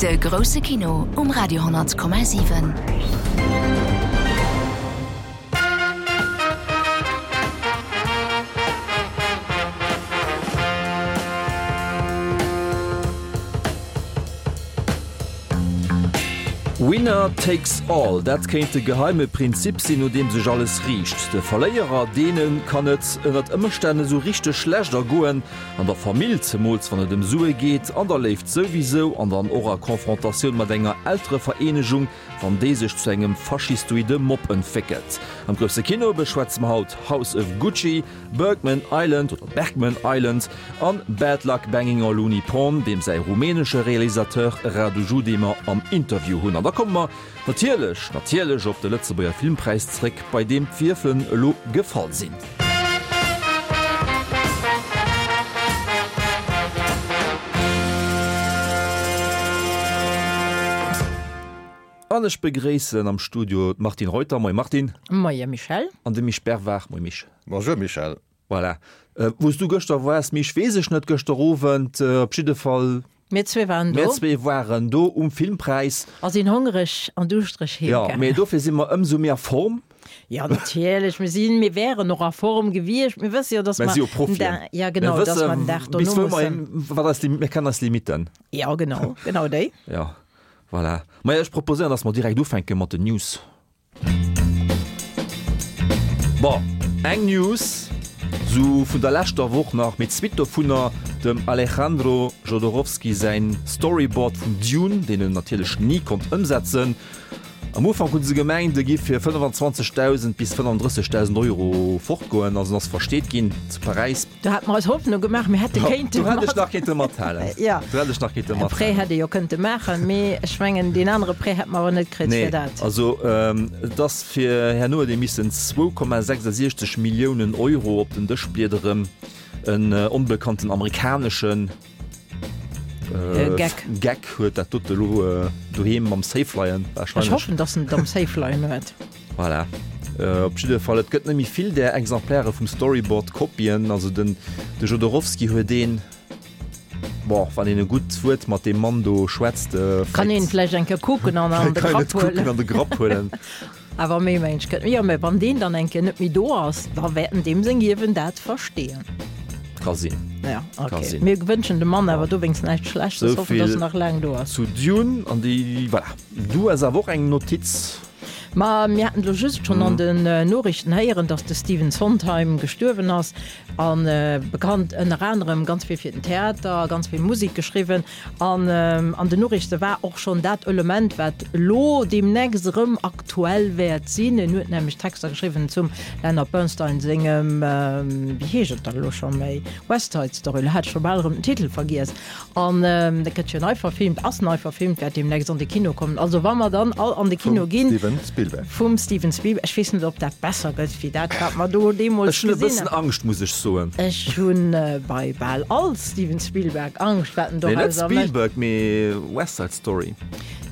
De grousse Kino um Radio 10,7. Winner takes all, dat kéint de geheime Prinzip sinn, no deem sech alles riicht. De Verléierer, deene kann et ënnert Ëmstänn esou richteg schlecht ergoen, an der Famill, zemools wann et ëm Sue geet, an der Léift souwisou, an dann och a Confrontatioun mat enger Elterevereenegung, wann déi sech zu engem faschistoide Mob entwéckelt. Am grousse Kino beschwätze mer haut House of Gucci, Bergman Island oder Bergman Island an Bad Luck Banging or Looney Porn, deem säi rumänesche Realisateur Radu Jude mer am Interview hunn. An da komme mer natierlech, natierlech op de Lëtzebuerger Filmpräis zréck, bei deem d'Wierfelen elo gefall sinn. An ech begréissen am Studio d'Martine Reuter. Moie Martine. Moie Michel. An de Misch Bervard. Moie Misch. Bonjour Michel. Voilà. Wou s du gëschter waars, Misch, weess ech net. Gëschter Owend op jidde Fall. Mir zwee waren do. Mir zwee waren do um Filmpräis. A sinn hongereg an duuschtereg heem gaangen. Jo, mee dofir si mer ëmsou méi a Form. Jo, natierlech. Mir sinn, mir wären och a Form gewiescht. Mir wësse jo, dass mer. Mir si jo Profien. Ja, genau, dass mer den Dag dono mussen. Wat eis, mir kennen eis Limitten. Jo, genau, genau déi. Jo. Voilà. Maja, ech proposéieren, dass mer direkt ufänke mat den News. Bon, eng News sou vun der leschter Woch nach, mee d'Suite dovunner, dem Alejandro Jodorowsky säin Storyboard vun Dune, deen en natierlech ni konnt ëmsetzen. Am Ufank hu se gemengt, e giff fir 25.000 bis 35.000 Euro fortgoen, also en ass versteet ginn zu Paräis. Do hate mer eis Hoffnung gemaach, mir hätte kéinte mat. Do hätt ech nach kéinte mathalen. Jo. Do hätt ech nach kéinte mathalen. E Prêt hätt ee jo kënnte maachen, mee ech mengen, deen anere Prêt hätt mer awer net kritt fir dat. Nee, also et ass fir herno huet ee missen 2,66 Milliounen Euro op den Dësch bliederen. En onbekannten amerikaneschen Geck. Geck huet dat dote elo doheem am Safe leien, warscheinlech. Ech hoffen, datt en et am Safe leien huet. Voilà. Op jidde Fall, et gëtt net méi vill där Exemplaire vum Storyboard Kopien. Also den de Jodorowsky huet een, bon, wann een e gutt Wuert mat deem Mann do schwätzt, Kann een vläicht eng Kéier kucken an an de Grapp huelen. An de Grapp huelen. Awer méi mensch gëtt. Jo, mä wann deen dann eng Kéier net méi do ass, da wäerten deem seng Ierwen dat versteeën. Ka sinn. Ja, okay. Ka sinn. Mir wënschen dem Mann awer dowéinst näischt Schlechtes, hoffen, dass en nach laang do ass. Zu Dune an déi, voilà. Du hues awer och eng Notiz. Ma mir haten elo just schonn an den Noriichten héieren, datt de Stephen Sondheim gestuerwen ass. A bekannt ënner anerem ganz vill fir den Theater, ganz vill Musek geschriwwen. An an den Noriichte war och schonn dat Element, wat elo deemnächst erëm aktuell wäert sinn. En huet nämlech Texter geschriwwen zum Leonard Bernstein sengem, wéi heescht et dann elo scho méi, West Side Story, elo hat ech scho bal erëm den Titel vergiess. An dat gëtt jo nei verfilmt, ass nei verfilmt, wäert deemnächst an de Kino kommen. Also wa mer dann all an de Kino ginn. Vum Steven Spielberg. Vum Steven Spielberg. Ech weess net, ob dat besser gëtt wéi dat, wat mer do deemools gesinn hunn. Ech hunn e bëssen Angscht, muss ech soen. Ech hu bei bal all Steven Spielberg Angscht, wat en dorauser mécht. Nee, net Spielberg, mee West Side Story.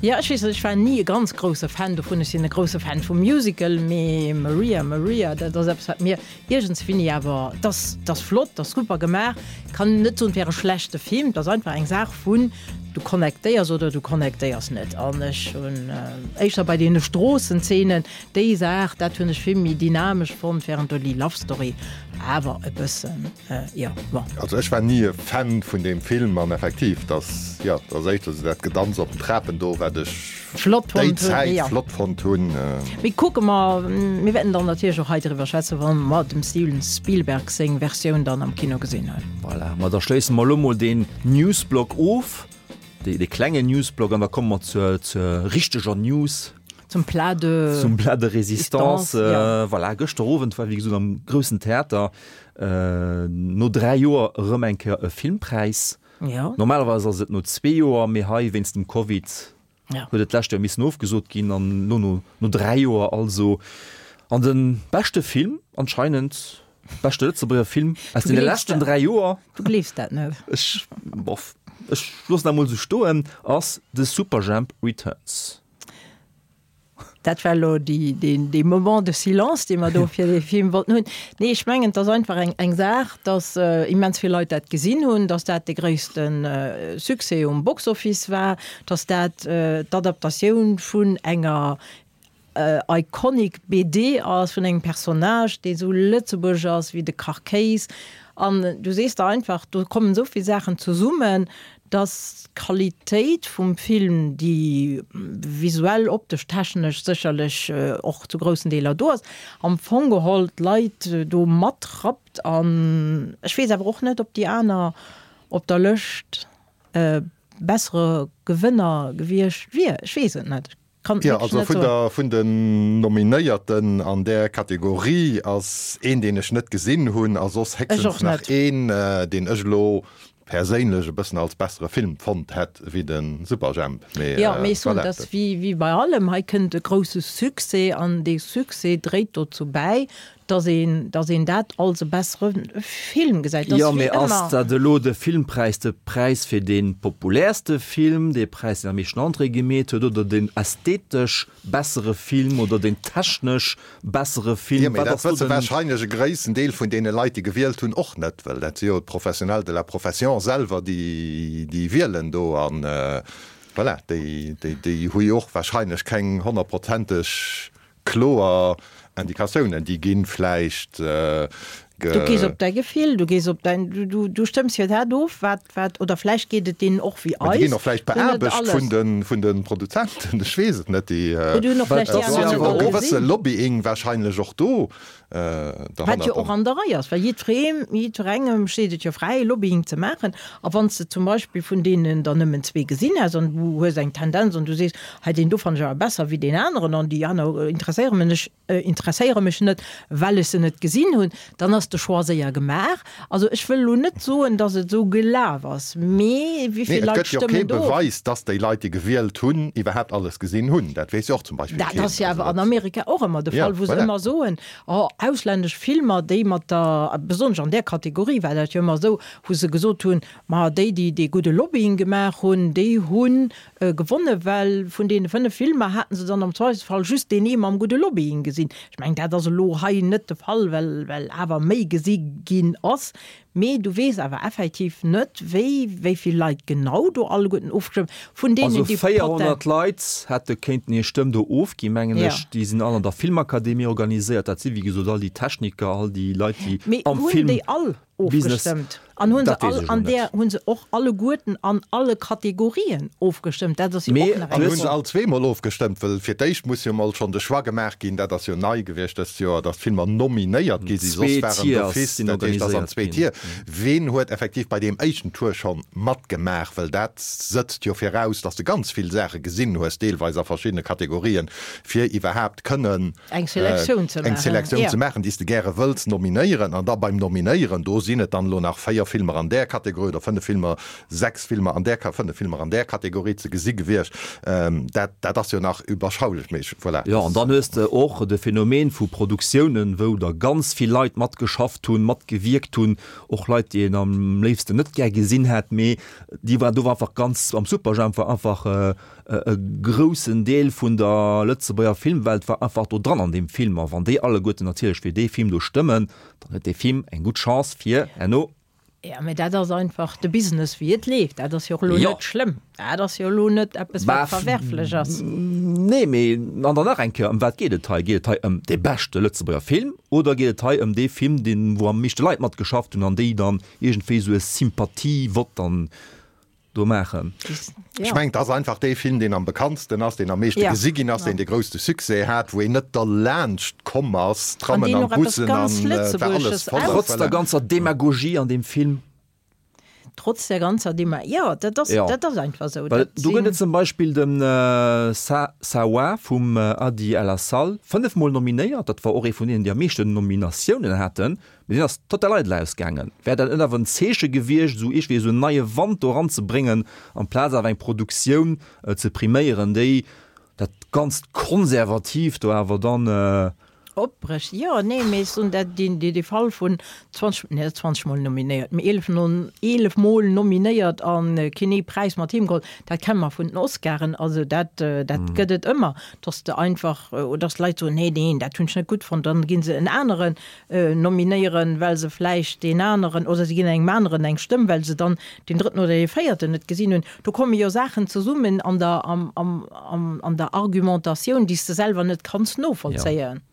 Jo, ech weess net, ech war ni e ganz grousse Fan dovun. Ech sinn e grousse Fan vum Musical, mee Maria, Maria, dat ass eppes, wat mir Iergendswéini awer, 't ass, 't ass flott, 't ass super gemaach, kann net soen, 't wär e schlechte Film, 't ass einfach eng Saach vun, du connectéiers oder du connectéiers net. An ech hunn éischter bei deene Stroossenzenen déi Saach, dat hunn ech vill méi dynamesch fonnt, während do déi Love Story awer e bëssen, jo, bon. Also ech war ni e Fan vun deem Film an effektiv, 't ass, jo, 't ass éischter esou dat Gedanz op den Trapen do, wat ech. Flott déi Zäit ja. flott fonnt hunn. Mee kucke mer, mir wäerten dann natierlech och hei driwwer schwätzen, wa mer dem Steven Spielberg seng Versioun dann am Kino gesinn hunn. Voilà, ma da schléisse mer elo mol deen Newsblock of, dee, dee klengen Newsblock, an da komme mer zur, zur richteger News. Zum Plat de. Zum Plat de Résistance. Ja. Voilà, gëschter Owend war, wéi gesot, am groussen Theater no 3 Joer erëm eng Kéier e Filmpräis. Ja. Normalerweis ass et no zwee Joer, mee hei wéinst dem Covid ja. huet et d'lescht Joer missen ofgesot ginn an elo no, no 3 Joer also. An de beschte Film anscheinend, beschte Lëtzebuerger Film aus deene leschten 3 Joer. Du gleefs dat net. Ech, boff, ech loossen dat mol esou stoen, ass The Superjhemp Returns. Dat war elo dee Moment de silence, dee mer do fir dee Film wollten hunn. Nee, ech mengen, et ass einfach eng Saach, datt immens vill Leit dat gesinn hunn, datt dat de gréisste Succès um Box-Office war, datt dat d'Adaptatioun vun enger iconic BD ass, vun engem Personnage, dee sou lëtzebuergesch ass wéi de Kachkéis. An du sees der einfach, do kommen esou vill Saachen zesummen, dass d'Qualitéit vum Film, déi visuell, optesch, technesch sécherlech och zu groussen Deeler do ass, am Fong geholl d'Leit do matrappt. An ech weess awer och net, ob déi aner op der Lëscht bessere Gewënner gewiescht wier. Ech weess et net. Kann Jo, also vun der, vun den Nominéierten an där Kategorie ass een, deen ech net gesinn hunn, a soss héchstens nach een, deen ech elo perséinlech e bëssen als bessere Film fonnt hätt wéi de Superjhemp. Mee Jo, mee ech soen, et ass wéi, wéi bei allem, hei kënnt e grousse Succès an dee Succès dréit dozou bäi, dass een, dass een dat als e bessere Film gesäit. Dat Jo, mee ass dat elo de Filmpräis, de Präis fir dee populäerste Film, dee Präis, deen am meeschten Entrée gemeet huet, oder deen ästhetesch bessere Film oder deen technesch bessere Film? Jo, mee dat wësse warscheinlech e gréissen Deel vun deene Leit, déi gewielt hunn, och net, well dat si jo d'Professionnels de la profession selwer, déi, déi wielen do. An voilà, déi, déi, déi hu jo och warscheinlech keng honnertprozenteg Kloer Indikatiounen, déi ginn vläicht ge. Du gees op däi Gefill, du gees op däin, du, du stëmms jo dat of, wat, wat, oder vläicht geet et deenen och wéi eis. Déi ginn och vläicht beaarbecht vun de, vun de Produzenten, ech weess et net, déi. Oder hunn och vläicht déi aner net all gesinn. E gewësse Lobbying wahrscheinlech och do derhannert. Wat jo och an der Rei ass, well jiddweree, jiddwerengem steet et jo fräi, Lobbying ze maachen. A wann s de zum Beispill vun deenen der nëmmen zwee gesinn häss an du hues eng Tendenz an du sees, Hei deen do fannen ech awer besser wéi deen aneren an déi aner interesséiere mech interesséiere mech net, well ech se net gesinn hunn, dann ass de Choix séier gemaach. Also ech wëll elo net soen, datt et esou gelaf ass, mee wéi vill Leit stëmmen do? Nee, et gëtt jo kee Beweis, datt déi Leit, déi gewielt hunn, iwwerhaapt alles gesinn hunn. Dat weess jo och zum Beispill keen. Dat ass jo awer an Amerika och ëmmer de Fall, wou se ëmmer soen, oh auslännesch Filmer, déi mat der, besonnesch an där Kategorie war dat jo ëmmer esou, wou se gesot hunn, ma déi, déi dee gudde Lobbying gemaach hunn, déi hunn Gewonne, well vun deene 5 Filmer haten se dann am Zweifelsfall just deen ee mam gudde Lobbying gesinn. Ech mengen, dat ass elo hei net de Fall, well well awer méi gesi ginn ass. Mee du weess awer effektiv net, wéi wéi vill Leit genau do alleguerten ofgestëmmt vun deenen, Also déi 400 Leit hätte kéinten hir Stëmm do ofginn, mengen ech. Déi sinn all an der Filmakademie organiséiert. Dat si wéi gesot all déi Techniker, all déi Leit, déi am Film. Mee hunn déi all ofgestëmmt an hunn se all an där hunn se och alleguerten an alle Kategorien ofgestëmmt. Dat ass jo och nach eng. An hunn se all zweemol ofgestëmmt, well fir d'éischt muss jo mol schonn de Choix gemaach ginn, dat ass jo nei gewiescht dëst Joer, datt d'Filmer nominéiert gi sinn, soss waren d'office, dat heescht ass an zwee Tier. Ween huet effektiv bei deem éischten Tour schonn matgemaach, well dat sëtzt jo viraus, datt s de ganz vill Saache gesinn hues, deelweis a verschiddene Kategorien, fir iwwerhaapt kënnen Eng Selektioun ze eng Selektioun ze maachen, déi s de gäre wëlls nominéieren. An da beim Nominéieren, do sinn et dann elo nach 4 Filmer an där Kategorie oder 5 Filmer, 6 Filmer an där, 5 Filmer an där Kategorie ze gesi gewiescht. Dat, dat ass jo nach überschaulech, mee ech, voilà. Jo, an dann hues de och de Phänomen vu Produktiounen, wou der ganz vill Leit matgeschafft hunn, matgewierkt hunn, och Leit, déi een am léifsten net gär gesinn hätt, mee déi war, do war einfach ganz, am Superjhemp war einfach, E groussen Deel vun der Lëtzebuerger Filmwelt war einfach do dran an deem Film. A wann déi alleguerten natierlech fir dee Film do stëmmen, dann huet dee Film eng gutt Chance fir herno. Jo, mä dat ass einfach de Business wéi et leeft. Dat ass jo och elo net schlëmm. Dat ass jo elo net eppes wat verwerflech ass. Nee, mee an dann nach eng Kéier, ëm wat geet et hei? Geet et hei ëm dee beschte Lëtzebuerger Film oder geet et hei ëm dee Film, deen, wou am meeschte Leit matgeschafft hunn an déi dann iergendwéi esou e Sympathievott dann do maachen. Ech mengen, et ass einfach dee Film, deen am bekanntsten ass, deen am meeschte gesi ginn ass, deen de grousste Succès hat, wou een net derlaanscht komm ass, d'Trammen an d'Bussen an et war alles voll. Trotz der ganzer Demagogie an deem Film. Trotz der ganzer Dema, jo, dat ass, dat ass einfach esou. Well do gëtt et zum Beispill de Sa Sawa vum Adi El Assal, fënnefmol nominéiert, dat war och ee vun deenen, déi am meeschten Nominatiounen haten. Mee deen ass total eidel ausgaangen. Wär dat net awer en Zeeche gewiescht, esou iergendwéi esou en neie Wand do eranzebréngen, amplaz awer eng Produktioun ze priméieren, déi dat ganzt Konservatiivt do awer dann. Opbrécht, jo, nee, mee ech soen dat, deen, dee Fall vun 20, nee, net 20 Mol nominéiert, mee 11 no, 11 Mol nominéiert a keen ee Präis mat heem geholl, dat kenne mer vun den Oscaren, also dat, dat gëtt et ëmmer, dass de einfach, oder dass d'Leit soen, nee, neen, dat hunn ech net gutt fonnt, dann gi se en aneren nominéieren, well se vläicht deen aneren, oder se ginn engem aneren eng Stëmm, well se dann deen drëtten oder dee véierten net gesinn hunn. Do komme jo Saachen zesummen an der, am, am, am, an der Argumentatioun, déi s de selwer net kanns novollzéien. Jo.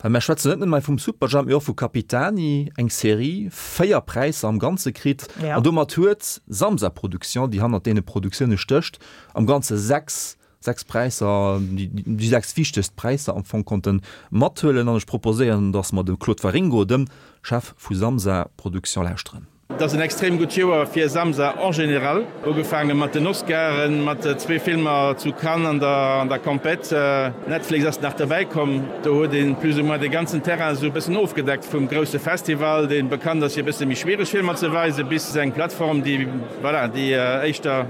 Well mär schwätzen net nëmme hei vum Superjhemp, mee och vu Capitani, eng Serie, 4 Präisser am Ganze kritt. Ja. An domat huet Samsa Production, déi hannert deene Produktioune stécht, am Ganze 6, 6 Präisser, déi, déi 6 wichtegst Präisser am Fong konnte mathuelen. An ech proposéieren, dass mer dem Claude Waringo, dem Chef vu Samsa Production, lauschteren. Et ass en extrem gutt Joer fir Samsa en général. Ugefaange mat den Oscaren, mat zwee Filmer zu Cannes an der an der Compète. Netflix ass nach derbäi komm. Do huet een plus ou moins de ganzen Terrain esou e bëssen ofgedeckt, vum grousse Festival, dee bekannt ass fir e bësse méi schwiereg Filmer ze weisen, bis eng Plattform, déi, voilà, déi éischter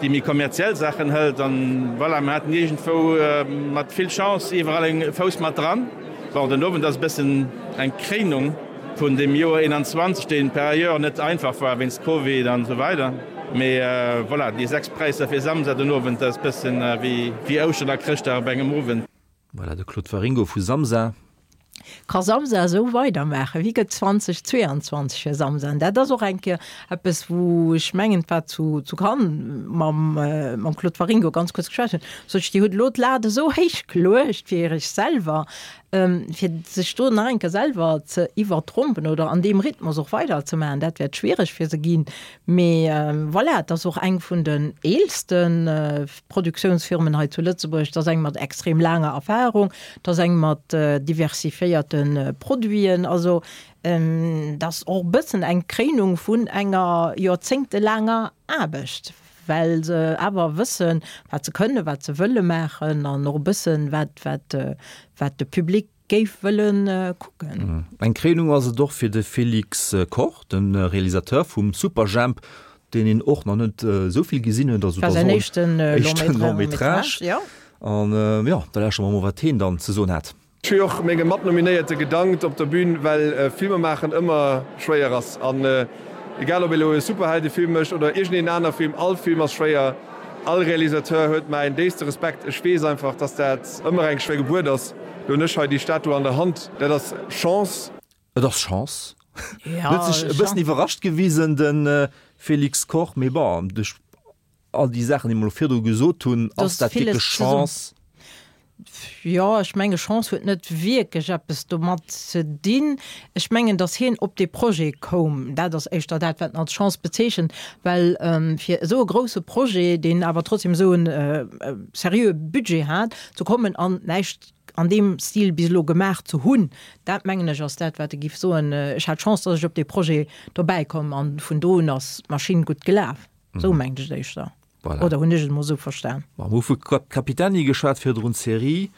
déi méi kommerziell Saachen hëlt. An voilà, mir haten iergendwou mat vill Chance iwwerall e Fouss mat dran. Bon, den Owend ass e bëssen eng Kréinung. Vun dem Joer 21, deen par ailleurs net einfach war wéinst Covid an esou weider. Mee voilà, déi 6 Präisser fir Samsa den Owend, dat ass bëssen wéi Ouschteren a Chrëschtdag op engem Owend. Voilà, de Claude Waringo vu Samsa. Ka Samsa esou weidermaachen? Wéi gëtt 2022 fir Samsa? An dat ass och eng Kéier eppes, wou ech mengen, et war zu zu Cannes mam mam Claude Waringo ganz kuerz geschwat hunn, sot ech, Dir hutt elo d'Lat esou héich geluecht fir Iech selwer, Fir sech do nach eng Kéier selwer ze iwwertrompen oder an deem Rhythmus och weiderzemaachen, dat wäert schwiereg fir se ginn. Mee voilà, et ass och eng vun den eelste Produktiounsfirmen hei zu Lëtzebuerg. Et ass eng mat extrem laanger Erfahrung, et ass eng mat diversifiéierte Produiten. Also et ass och e bëssen eng Kréinung vun enger joerzéngtelaanger Aarbecht. well se awer wëssen, wat se kënnen, wat se wëlle maachen an och e bëssen, wat, wat, wat de Public géif wëlle kucken. Eng Kréinung ass et och fir de Félix Koch, de Realisateur vum Superjhemp, deen een och nach net esou vill gesinn huet. Also et war säin éischten Long métrage, jo. An jo, da lauschtere mer mol, wat heen dann ze soen hat. Ech hu jo och menge Matnominéierte gedankt op der Bühn, well Filmer maachen ëmmer schwéier ass. An egal ob ee lo e Superheldefilm mécht oder iergendeen aner Film, all Film ass schwéier. All Realisateur huet mäin déifste Respekt. Ech weess einfach, dass dat ëmmer eng schwéier Gebuert ass. Lo hunn ech hei déi Statue an der Hand, dat ass Chance. Et ass Chance. Huet sech e bëssen iwwerrascht gewisen, de Félix Koch, mee bon, duerch all déi Saachen, déi mer elo virdru gesot hunn, ass dat wierklech Chance? Jo, ech menge Chance huet net wierklech eppes domat ze dinn. Ech mengen, datt hien op dee Projet koum, dat ass éischter dat, wat en als Chance bezeechent, well fir esou e grousse Projet, deen awer trotzdem esou e seriöe Budget hat, ze kommen an näischt an deem Stil bis elo gemaach ze hunn, dat mengen ech ass dat, wat e giff soen, Ech hat Chance, datt ech op dee Projet dobäi komm an vun do un ass d'Maschinn gutt gelaf. Esou mengt ech et éischter. Voilà. Oder hunn ech et emol esou verstan? Mer hu vu Capitani geschwat virdrun, d'Serie,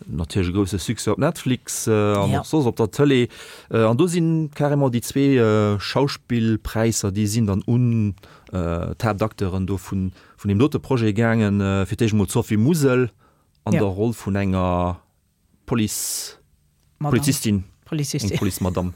natierlech e grousse Succès op Netflix an och soss op der Tëlee. An do si carrément déi zwee Schauspillpräisser, déi sinn dann un d'Haaptacteuren do vun deem dote Projet gaangen. Fir d'éischt emol d'Sophie Musel an der Roll vun enger Police, Polizistin, Polizistin. Eng Police-Madame.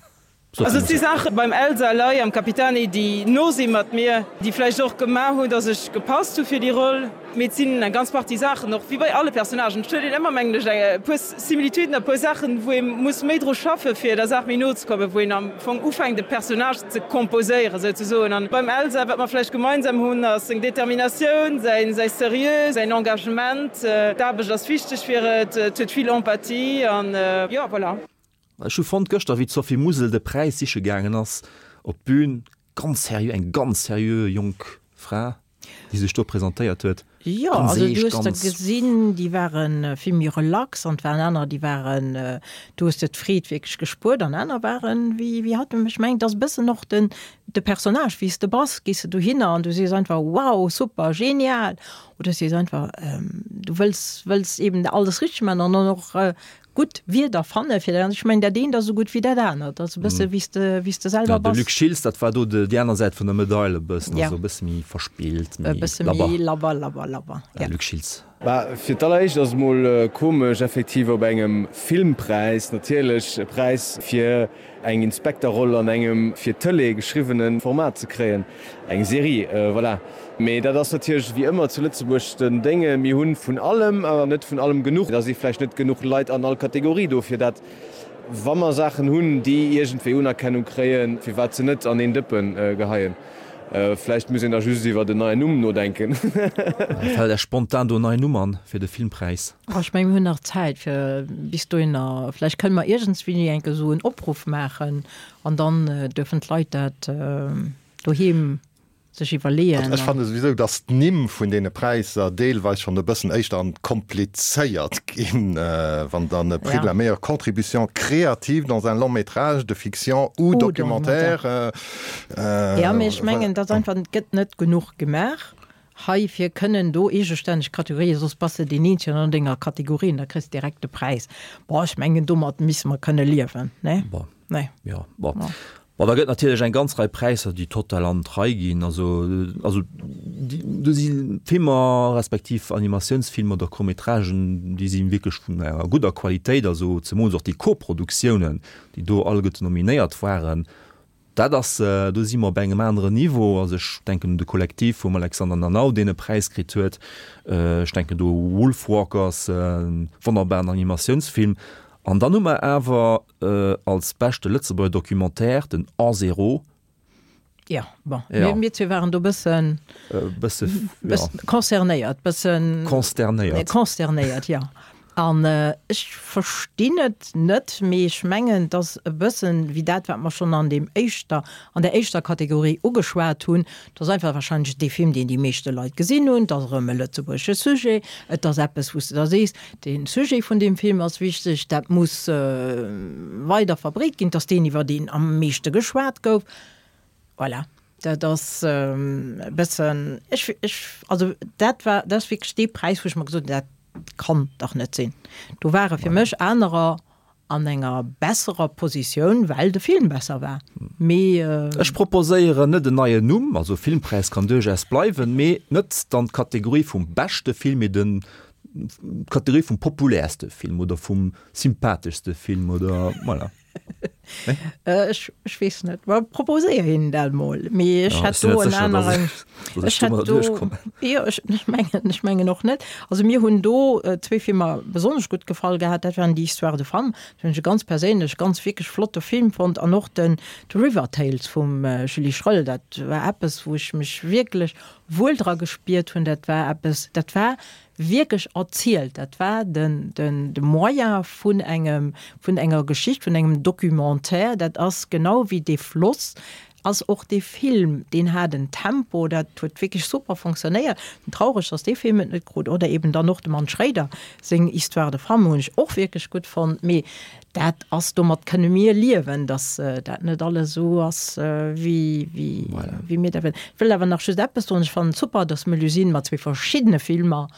Also et si Saache beim Elsa Ley am Capitani, déi no si mat mir, déi vläicht och gemaach hunn, datt ech gepasst hu fir déi Roll. Mee et sinn eng ganz Partie Saachen, och wéi bei alle Personnagen, et huet een ëmmer, mengen ech, e puer Similituden a puer Saachen, wou ee muss méi dru schaffen, fir der Saach méi no ze kommen, wou een am Fong ufänkt, e Personnage ze composéieren, souzesoen. An beim Elsa, wat mer vläicht gemeinsam hunn, ass seng Determinatioun, säin säi Seriö, säin Engagement. D'Aarbecht ass wichteg fir et, et huet vill Empathie an jo, voilà. Ech hu fonnt gëschter, wéi d'Sophie Musel de Präis siche gaangen ass op d'Bün, ganz seriö, eng ganz seriö jonk Fra, déi sech do presentéiert huet. Jo, Ganz also du eescht, hues der ganz. gesinn, déi ware vill méi relax an et waren anerer, déi waren, du hues de d'Freed wierklech gespuert an aner waren wéi, wéi hatt. Ech mengen, et ass e bëssen och den, de Personnage, wéi s de bass, gees de dohinner an du sees einfach, wow, super, genial oder sees einfach, du wëlls, wëlls eben alles richteg maachen an dann och Gutt Wierder fanne fir dat. Ech mengen, dat eent ass esou gutt wéi dat anert. Dat ass e bësse wéi s de, wéi s de selwer Ja, de bass. Luc Schiltz, dat war do de, déi aner Säit vun der Medail e bëssen, Ja. also e bësse méi verspillt, E méi bësse labber. méi labber, labber, labber, Ja, ja. Luc Schiltz. Bah, fir d'alleréischt ass et mol komesch effektiv op engem Filmpräis, natierlech e Präis fir eng Inspekterroll an engem fir d'Tëlee geschriwwene Format ze kréien, eng Serie, voilà. Mee dat ass natierlech wéi ëmmer zu Lëtzebuerg den Dénge, mir hu vun allem awer net vun allem genuch. Da si vläicht net genuch Leit an all Kategorie do fir dat, wa mer Saachen hunn, déi iergendwéi Unerkennung kréien, firwat se net an een Dëppe geheien. Vläicht muss een da just iwwert en neien Numm nodenken. Fält Iech spontan do en neien Numm an fir de Filmpräis? Oh, ech mengen, mir hunn nach Zäit fir bis dohinner. Vläicht kënne mer iergendswéini eng Kéier esou en Opruff maachen an dann duerfen d'Leit dat doheem sech iwwerleeën. Also ech fanne souwisou, datt d'Nimm vun deene Präisser deelweis schonn e bëssen éischter an komplizéiert ginn, wann dann e Prix de la meilleure contribution créative dans un long métrage de fiction ou documentaire. Jo, mee ech mengen, et ass einfach, et gëtt net genuch gemaach hei, fir kënnen do eegestänneg Kategorien, soss bass de deen Eenzegen an denger Kategorie an da kriss de direkt de Präis. Bon, ech mengen, domat misse mer kënne liewen, ne? Bon. Nee. Jo, bon. Bon, da gëtt natierlech eng ganz Rei Präisser, déi total an d'Rei ginn. Also, also déi, do si Filmer respektiv Animatiounsfilmer oder Court-métragen, déi si wierklech vun enger gudder Qualitéit, also zemools och déi Koproduktiounen, déi do alleguerte nominéiert waren. Dat ass, do si mer op engem aneren Niveau. Also ech denken un de Kollektiv vum Alexander Nanau, deen e Präis kritt huet. Ech denken do u Wolfwalkers, e wonnerbaren Animatiounsfilm. An dann hu mer awer als beschte Lëtzebuerger Documentaire den En Zéro. Jo, bon, mir zwee waren do bëssen, bësse, jo, concernéiert, bëssen. Consternéiert. Consternéiert, jo. An ech verstinn et net, mee ech mengen, et ass e bëssen wéi dat, wat mer schonn an deem éischter, an der éischter Kategorie ugeschwat hunn. Et ass einfach wahrscheinlech dee Film, deen déi meeschte Leit gesinn hunn. Et ass erëm e lëtzebuergesche Sujet. Et ass eppes, wou s de da sees, de Sujet vun deem Film ass wichteg, dat muss weider verbreet ginn. Et ass deen, iwwer deen am meeschte geschwat gouf. Voilà, dat ass e bëssen, ech, ech, also dat war, dat ass wierklech dee Präis, wou ech mer gesot hunn, dat kann dach net sinn. Do ware fir mech anerer an enger besserer Positioun, well de Film besser war. Mee. Ech proposéieren net en neien Numm, also Filmpräis kann duerchaus bleiwen, mee net dann d'Kategorie vum beschte Film, mee den, d'Kategorie vum populäerste Film oder vum sympatheschste Film oder voilà. Ech, ech weess net. Ma proposéier hinnen dat mol. Mee ech hätt do en aneren. Ech hätt do, jo, ech, ech mengen, ech mengen och net. Also mir hunn do zwee Filmer besonnesch gutt gefall gehat. Dat waren déi Histoires de femmes, dat hunn ech e ganz perséinlech ganz wierklech flotte Film fonnt an och den The River Tales vum Julie Schröll. Dat war eppes, wou ech mech wierklech wuel dra gespiert hunn. Dat war eppes, dat war wierklech erzielt. Dat war den, den, de Moyen vun engem, vun enger Geschicht, vun engem Documentaire. Dat ass genau wéi dee Floss ass och dee Film, deen hat en Tempo, dat huet wierklech super fonctionnéiert. Traureg, dass dee Film et net krut. Oder eben dann och dem Anne Schréider seng Histoire de femme hunn ech och wierklech gutt fonnt. Mee dat ass, domat kënne mir liewen, dass dat net alles esou ass, wéi, wéi, wéi mir dat wëllen. Ech wëll awer nach just eppes soen, Ech fannen et super, dass d'Melusine mat zwee verschiddene Filmer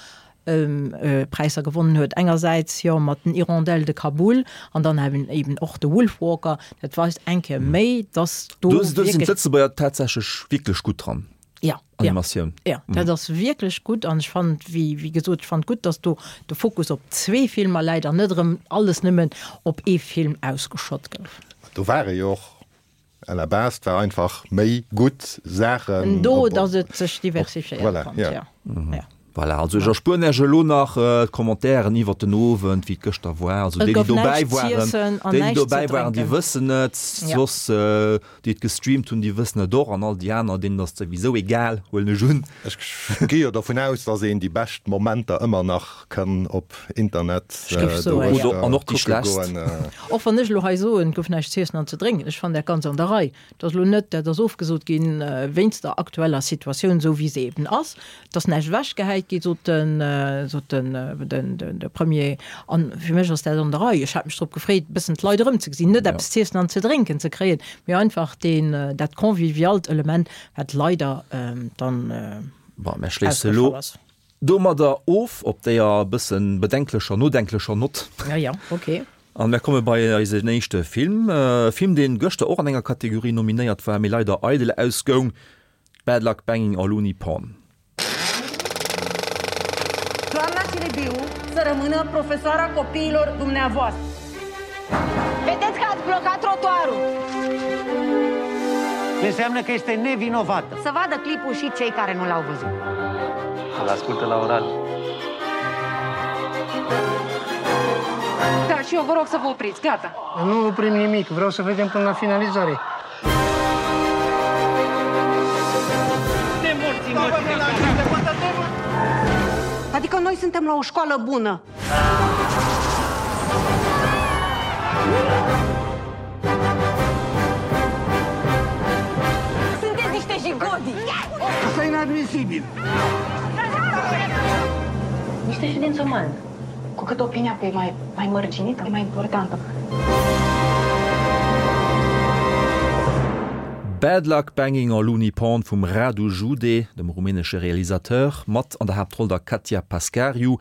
Präisser gewonnen huet. Engersäits jo mat den Hirondelles de Kaboul an dann eben eben och de Wolfwalker. Dat weist eng Kéier méi, dass do Do sinn d'Lëtzebuerger tatsächlech wierklech gutt dran. Ja, Animatioun. Ja, ja, dat ass wierklech gutt an ech fannen, wéi, wéi gesot, ech fannen gutt, datt do de Fokus op zwee Filmer läit an net erëm alles nëmmen op ee Film ausgeschott gouf. Do ware jo och à la base, et war einfach méi gutt Saachen do, datt et sech diversifiéiert konnt. Voilà, ja. Ja. Voilà, also ech erspueren Iech elo nach d'Commentairen iwwert den Owend, wéi et gëschter war. Also Et déi, déi gouf dobäi näischt waren, z'iessen an déi, déi näischt ze dobäi waren, déi drénken. wëssen et. Ja. Soss, déi et gestreamt hunn, déi wëssen et och. An all déi aner, deenen ass et souwisou egal, huelen ech un. Ech gi jo dovun aus, dass een déi bescht Momenter ëmmer nach kann op Internet Ech géif soen, ja. Oder, an och déi kucke schlechtst. goen. Och wann ech elo hei soen, et gouf näischt z'iessen an ze drénken, ech fannen dat ganz an der Rei. Et ass elo net, dat ass ofgesot ginn wéinst der aktueller Situatioun, esou wéi se eben ass. Et ass näischt ewechgehäit gi sot den, sot den, den, de Premier. An fir mech ass dat an der Rei. Ech hat mech drop gefreet, e bëssen d'Leit erëmzegesinn, net eppes z'iessen an ze drénken ze kréien, mee einfach deen, dat convivialt Element, wat leider dann Bon, mir schléisse elo ausgefall ass. domadder of, op deeër e bëssen bedenklecher, nodenklecher Nott. Ja, ja, okay. An mir komme bei eisen éischte Film, e Film, deen gëschter och an enger Kategorie nominéiert war, mee leider eidel ausgoung, Bad Luck Banging or Looney Porn. Sibiu să rămână profesoara copiilor dumneavoastră. Vedeți că ați blocat trotuarul! Înseamnă că este nevinovată. Să vadă clipul și cei care nu l-au văzut. Îl ascultă la oral. Da, și eu vă rog să vă opriți. Gata. Nu oprim nimic. Vreau să vedem până la finalizare. Adică noi suntem la o școală bună. Sunteți niște jigodi! Asta e inadmisibil! Niște ședință umană. Cu cât opinia pe mai, mai mărginită, mai importantă. Bad Luck Banging or Looney Porn vum Radu Jude, dem rumänesche Realisateur, mat an der Haaptroll der Katja Pascariu.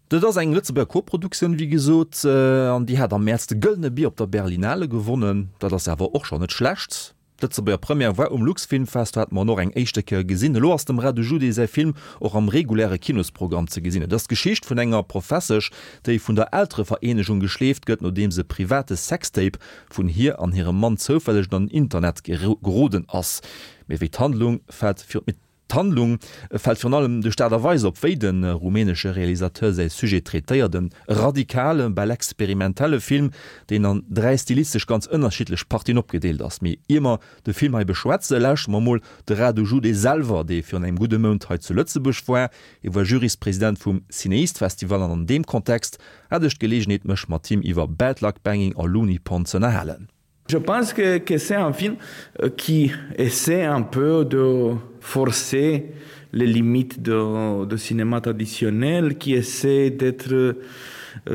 Dat ass eng Lëtzebuerger Koproduktioun, wéi gesot, an déi hat am Mäerz de Gëllene Bier op der Berlinale gewonnen. Dat ass awer och schonn net schlecht. D'Lëtzebuerger Première war um Luxfilmfest, do hate mer en och eng éischte Kéier gesinn. Elo ass dem Radu Jude säi Film och am reguläre Kinosprogramm ze gesinn. Et ass d'Geschicht vun enger Professesch, déi vun der Elterevereenegung geschleeft gëtt, nodeems e private Sextape vun hir an hirem Mann zoufälleg an den Internet geroden ass. Mee wéi d'Handlung fält virun D'Handlung fält virun allem duerch d'Aart a Weis op, wéi de rumänesche Realisateur säi Sujet traitéiert, e radikale, bal experimentelle Film, deen an 3 stilistesch ganz ënnerschiddlech Partien opgedeelt ass. Mee ier mer de Film hei beschwätze, lauschtere mer mol de Radu Jude selwer, dee virun engem gudde Mount hei zu Lëtzebuerg war. Hie war Juryspresident vum Cineast Festival an an deem Kontext hat ech d'Geleegenheet, mech mat him iwwer Bad Luck Banging a Looney Pond z'ënnerhalen. Je pense que, que c'est un film euh, qui essaie un peu de forcer les limites de, de cinéma traditionnel, qui essaie d'être euh,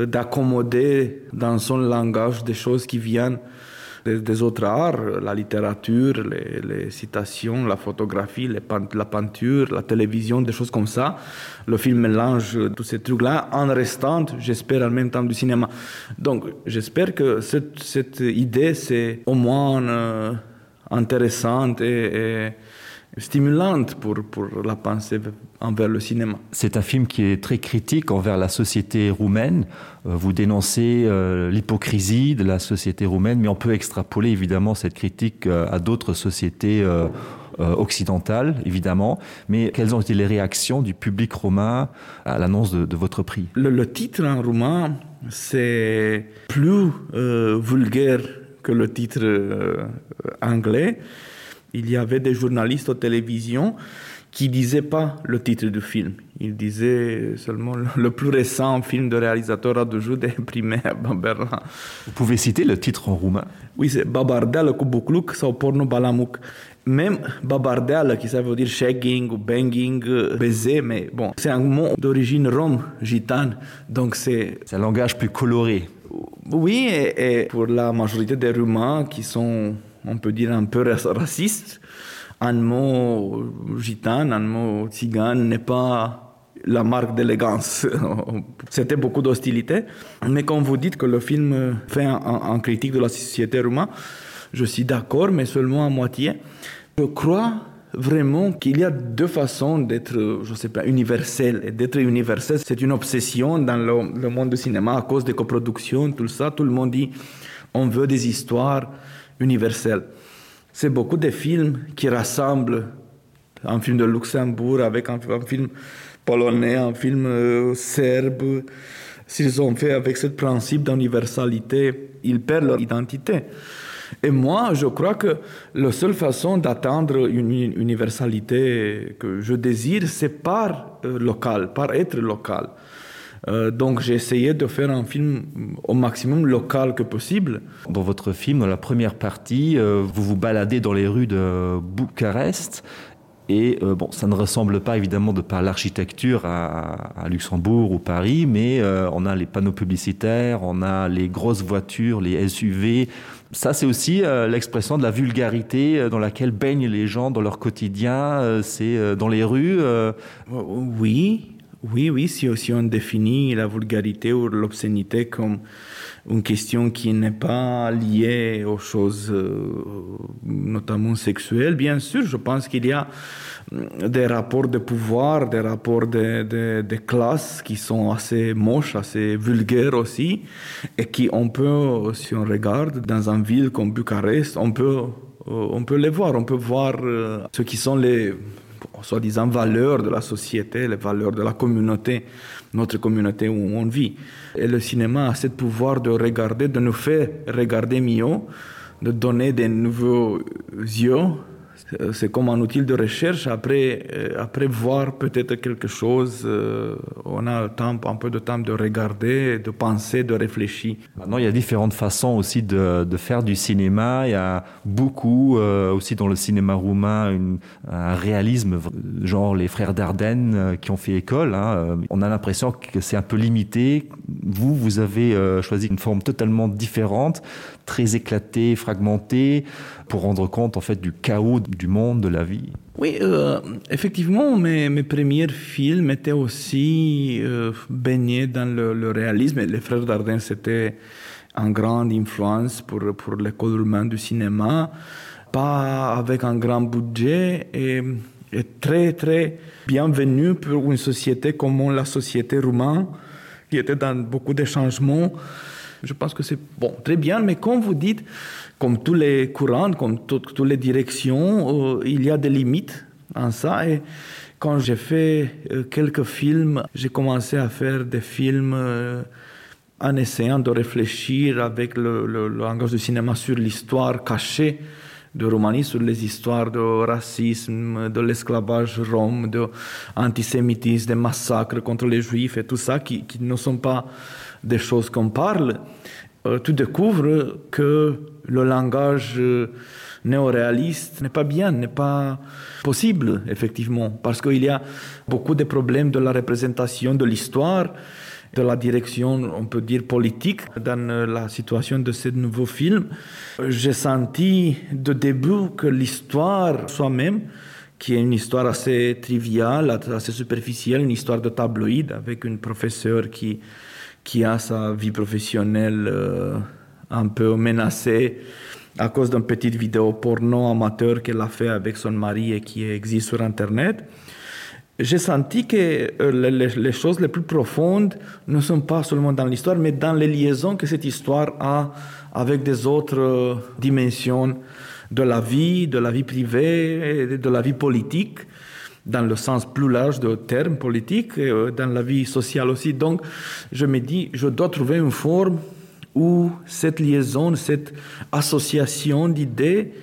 d'accommoder dans son langage des choses qui viennent des, des autres arts, la littérature, les, les citations, la photographie, les, la peinture, la télévision, des choses comme ça. Le film mélange tous ces trucs-là en restant, j'espère, en même temps du cinéma. Donc j'espère que cette, cette idée, c'est au moins euh, intéressante et, et stimulante pour, pour la pensée envers le cinéma. C'est un film qui est très critique envers la société roumaine. Euh, vous dénoncez euh, l'hypocrisie de la société roumaine, mais on peut extrapoler évidemment cette critique euh, à d'autres sociétés euh, euh, occidentales, évidemment. Mais quelles ont été les réactions du public roumain à l'annonce de, de votre prix le, le titre en roumain, c'est plus euh, vulgaire que le titre euh, anglais. Il y avait des journalistes aux télévisions qui disaient pas le titre du film. Il disait seulement le, le plus récent film de réalisateur à deux jours d'imprimé à Berlin. Vous pouvez citer le titre en roumain Oui, c'est Babardel Kubukluk sau Porno Balamuk. Même Babardel, qui ça veut dire shagging ou banging, euh, baiser, mais bon, c'est un mot d'origine rome, gitane, donc c'est... C'est un langage plus coloré. Oui, et, et pour la majorité des Roumains qui sont, on peut dire, un peu racistes, un mot gitane, un mot tzigane n'est pas la marque d'élégance. C'était beaucoup d'hostilité. Mais quand vous dites que le film fait un, un, un critique de la société roumaine, je suis d'accord, mais seulement à moitié. Je crois vraiment qu'il y a deux façons d'être, je sais pas, universel. Et d'être universel, c'est une obsession dans le, le monde du cinéma à cause des coproductions, tout ça. Tout le monde dit on veut des histoires universelles. C'est beaucoup de films qui rassemblent un film de Luxembourg avec un, un film polonais, un film euh, serbe. S'ils ont fait avec ce principe d'universalité, ils perdent leur identité. Et moi, je crois que la seule façon d'atteindre une universalité que je désire, c'est par euh, local, par être local. Euh, donc j'ai essayé de faire un film au maximum local que possible. Dans votre film, dans la première partie, euh, vous vous baladez dans les rues de Bucarest et euh, bon, ça ne ressemble pas évidemment de par l'architecture à, à Luxembourg ou Paris, mais euh, on a les panneaux publicitaires, on a les grosses voitures, les SUV. Ça, c'est aussi euh, l'expression de la vulgarité euh, dans laquelle baignent les gens dans leur quotidien, euh, c'est euh, dans les rues. Euh... Oui. Oui, oui, si aussi on définit la vulgarité ou l'obscénité comme une question qui n'est pas liée aux choses euh, notamment sexuelles, bien sûr, je pense qu'il y a mm, des rapports de pouvoir, des rapports de, de, de classe qui sont assez moches, assez vulgaires aussi, et qui on peut, si on regarde dans une ville comme Bucarest, on peut, euh, on peut les voir, on peut voir euh, ce qui sont les soi-disant valeurs de la société, les valeurs de la communauté, notre communauté où on vit. Et le cinéma a ce pouvoir de regarder, de nous faire regarder mieux, de donner des nouveaux yeux. C'est comme un outil de recherche. Après, euh, après voir peut-être quelque chose, euh, on a le temps, un peu de temps de regarder, de penser, de réfléchir. Maintenant, il y a différentes façons aussi de, de faire du cinéma. Il y a beaucoup euh, aussi dans le cinéma roumain une, un réalisme genre les frères d'Ardennes euh, qui ont fait école hein. Euh, on a l'impression que c'est un peu limité vous vous avez euh, choisi une forme totalement différente très éclatée fragmentée pour rendre compte en fait du chaos du monde de la vie oui euh, effectivement mes, mes premiers films étaient aussi euh, baignés dans le, le réalisme et les frères d'Ardennes c'était une grande influence pour pour l'école roumaine du cinéma pas avec un grand budget et, et très très bienvenu pour une société comme la société roumaine qui était dans beaucoup de changements. Je pense que c'est bon très bien, mais comme vous dites, comme tous les courants, comme toutes les directions, euh, il y a des limites en ça et quand j'ai fait euh, quelques films, j'ai commencé à faire des films euh, en essayant de réfléchir avec le, le, le langage du cinéma sur l'histoire cachée de Roumanie, sur les histoires de racisme, de l'esclavage rome, de antisémitisme, des massacres contre les juifs et tout ça qui, qui ne sont pas des choses qu'on parle, euh, tu découvres que le langage euh, néoréaliste n'est pas bien, n'est pas possible effectivement, parce qu'il y a beaucoup de problèmes de la représentation de l'histoire, de la direction, on peut dire politique, dans euh, la situation de ce nouveau film. J'ai senti de début que l'histoire soi-même, qui est une histoire assez triviale, assez superficielle, une histoire de tabloïd avec une professeure qui, qui a sa vie professionnelle euh, un peu menacée à cause d'une petite vidéo porno amateur qu'elle a fait avec son mari et qui existe sur internet j'ai senti que euh, les, les, les choses les plus profondes ne sont pas seulement dans l'histoire, mais dans les liaisons que cette histoire a avec des autres euh, dimensions de la vie, de la vie privée, de la vie politique, dans le sens plus large de terme politique, et euh, dans la vie sociale aussi. Donc, je me dis, je dois trouver une forme où cette liaison, cette association d'idées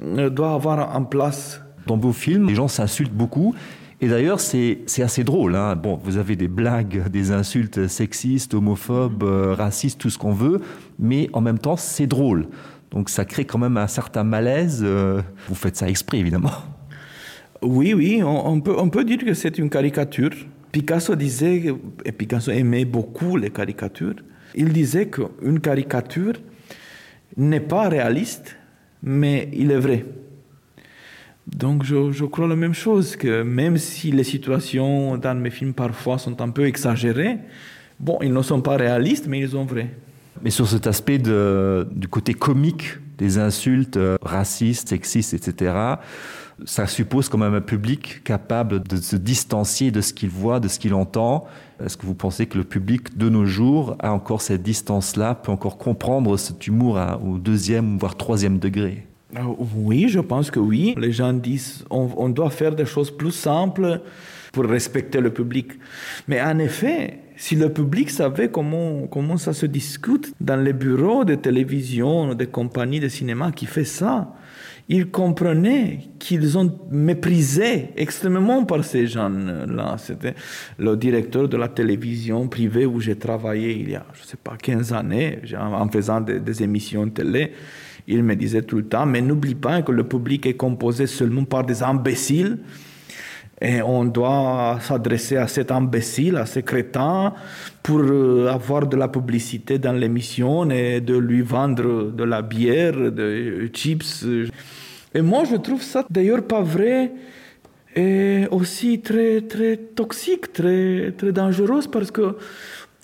doit avoir en place. Dans vos films, les gens s'insultent beaucoup. Et d'ailleurs, c'est assez drôle. Hein. Bon, vous avez des blagues, des insultes sexistes, homophobes, euh, racistes, tout ce qu'on veut, mais en même temps, c'est drôle. Donc ça crée quand même un certain malaise. Euh, vous faites ça exprès, évidemment. Oui, oui, on, on, peut, on peut dire que c'est une caricature. Picasso disait, et Picasso aimait beaucoup les caricatures, il disait qu'une caricature n'est pas réaliste, mais il est vrai. Donc je, je crois la même chose que même si les situations dans mes films parfois sont un peu exagérées, bon ils ne sont pas réalistes mais ils sont vrais. Mais sur cet aspect de, du côté comique des insultes euh, racistes, sexistes, etc., ça suppose quand même un public capable de se distancier de ce qu'il voit, de ce qu'il entend. Est-ce que vous pensez que le public de nos jours a encore cette distance-là, peut encore comprendre cet humour à, au deuxième voire troisième degré? Ah, oui, je pense que oui. Les gens disent on, on doit faire des choses plus simples pour respecter le public. Mais en effet, si le public savait comment, comment ça se discute dans les bureaux de télévision, des compagnies de cinéma qui fait ça, ils comprenaient qu'ils ont méprisé extrêmement par ces gens-là. C'était le directeur de la télévision privée où j'ai travaillé il y a, je sais pas, 15 années, en faisant des, des émissions télé. Il me disait tout le temps, mais n'oublie pas que le public est composé seulement par des imbéciles et on doit s'adresser à cet imbécile, à ce crétin, pour euh, avoir de la publicité dans l'émission et de lui vendre de la bière, des chips. Et moi, je trouve ça d'ailleurs pas vrai. Et aussi très très toxique, très très dangereuse parce que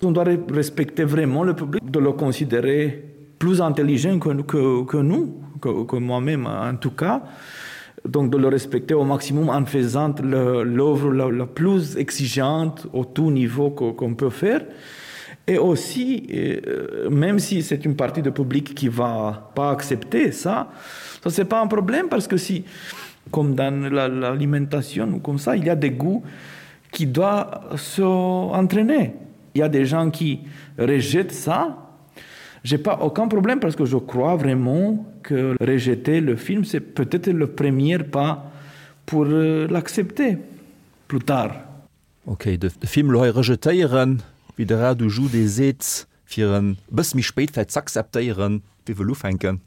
on doit respecter vraiment le public, de le considérer plus intelligent que, que, que nous, que, que moi-même en tout cas. Donc de le respecter au maximum en faisant l'œuvre la, la plus exigeante au tout niveau qu'on qu peut faire. Et aussi, euh, même si c'est une partie du public qui va pas accepter ça, ça c'est pas un problème parce que si comme dans l'alimentation la, ou comme ça, il y a des goûts qui doivent s'entraîner. Il y a des gens qui rejettent ça. J'ai pas aucun problème parce que je crois vraiment que rejeter le film, c'est peut-être le premier pas pour euh, l'accepter plus tard. Ok, de Film elo hei rejetéieren, wéi de Radu Jude seet, fir en e bësse méi spéit vläit z'akzeptéieren. Wie wëll ufänken?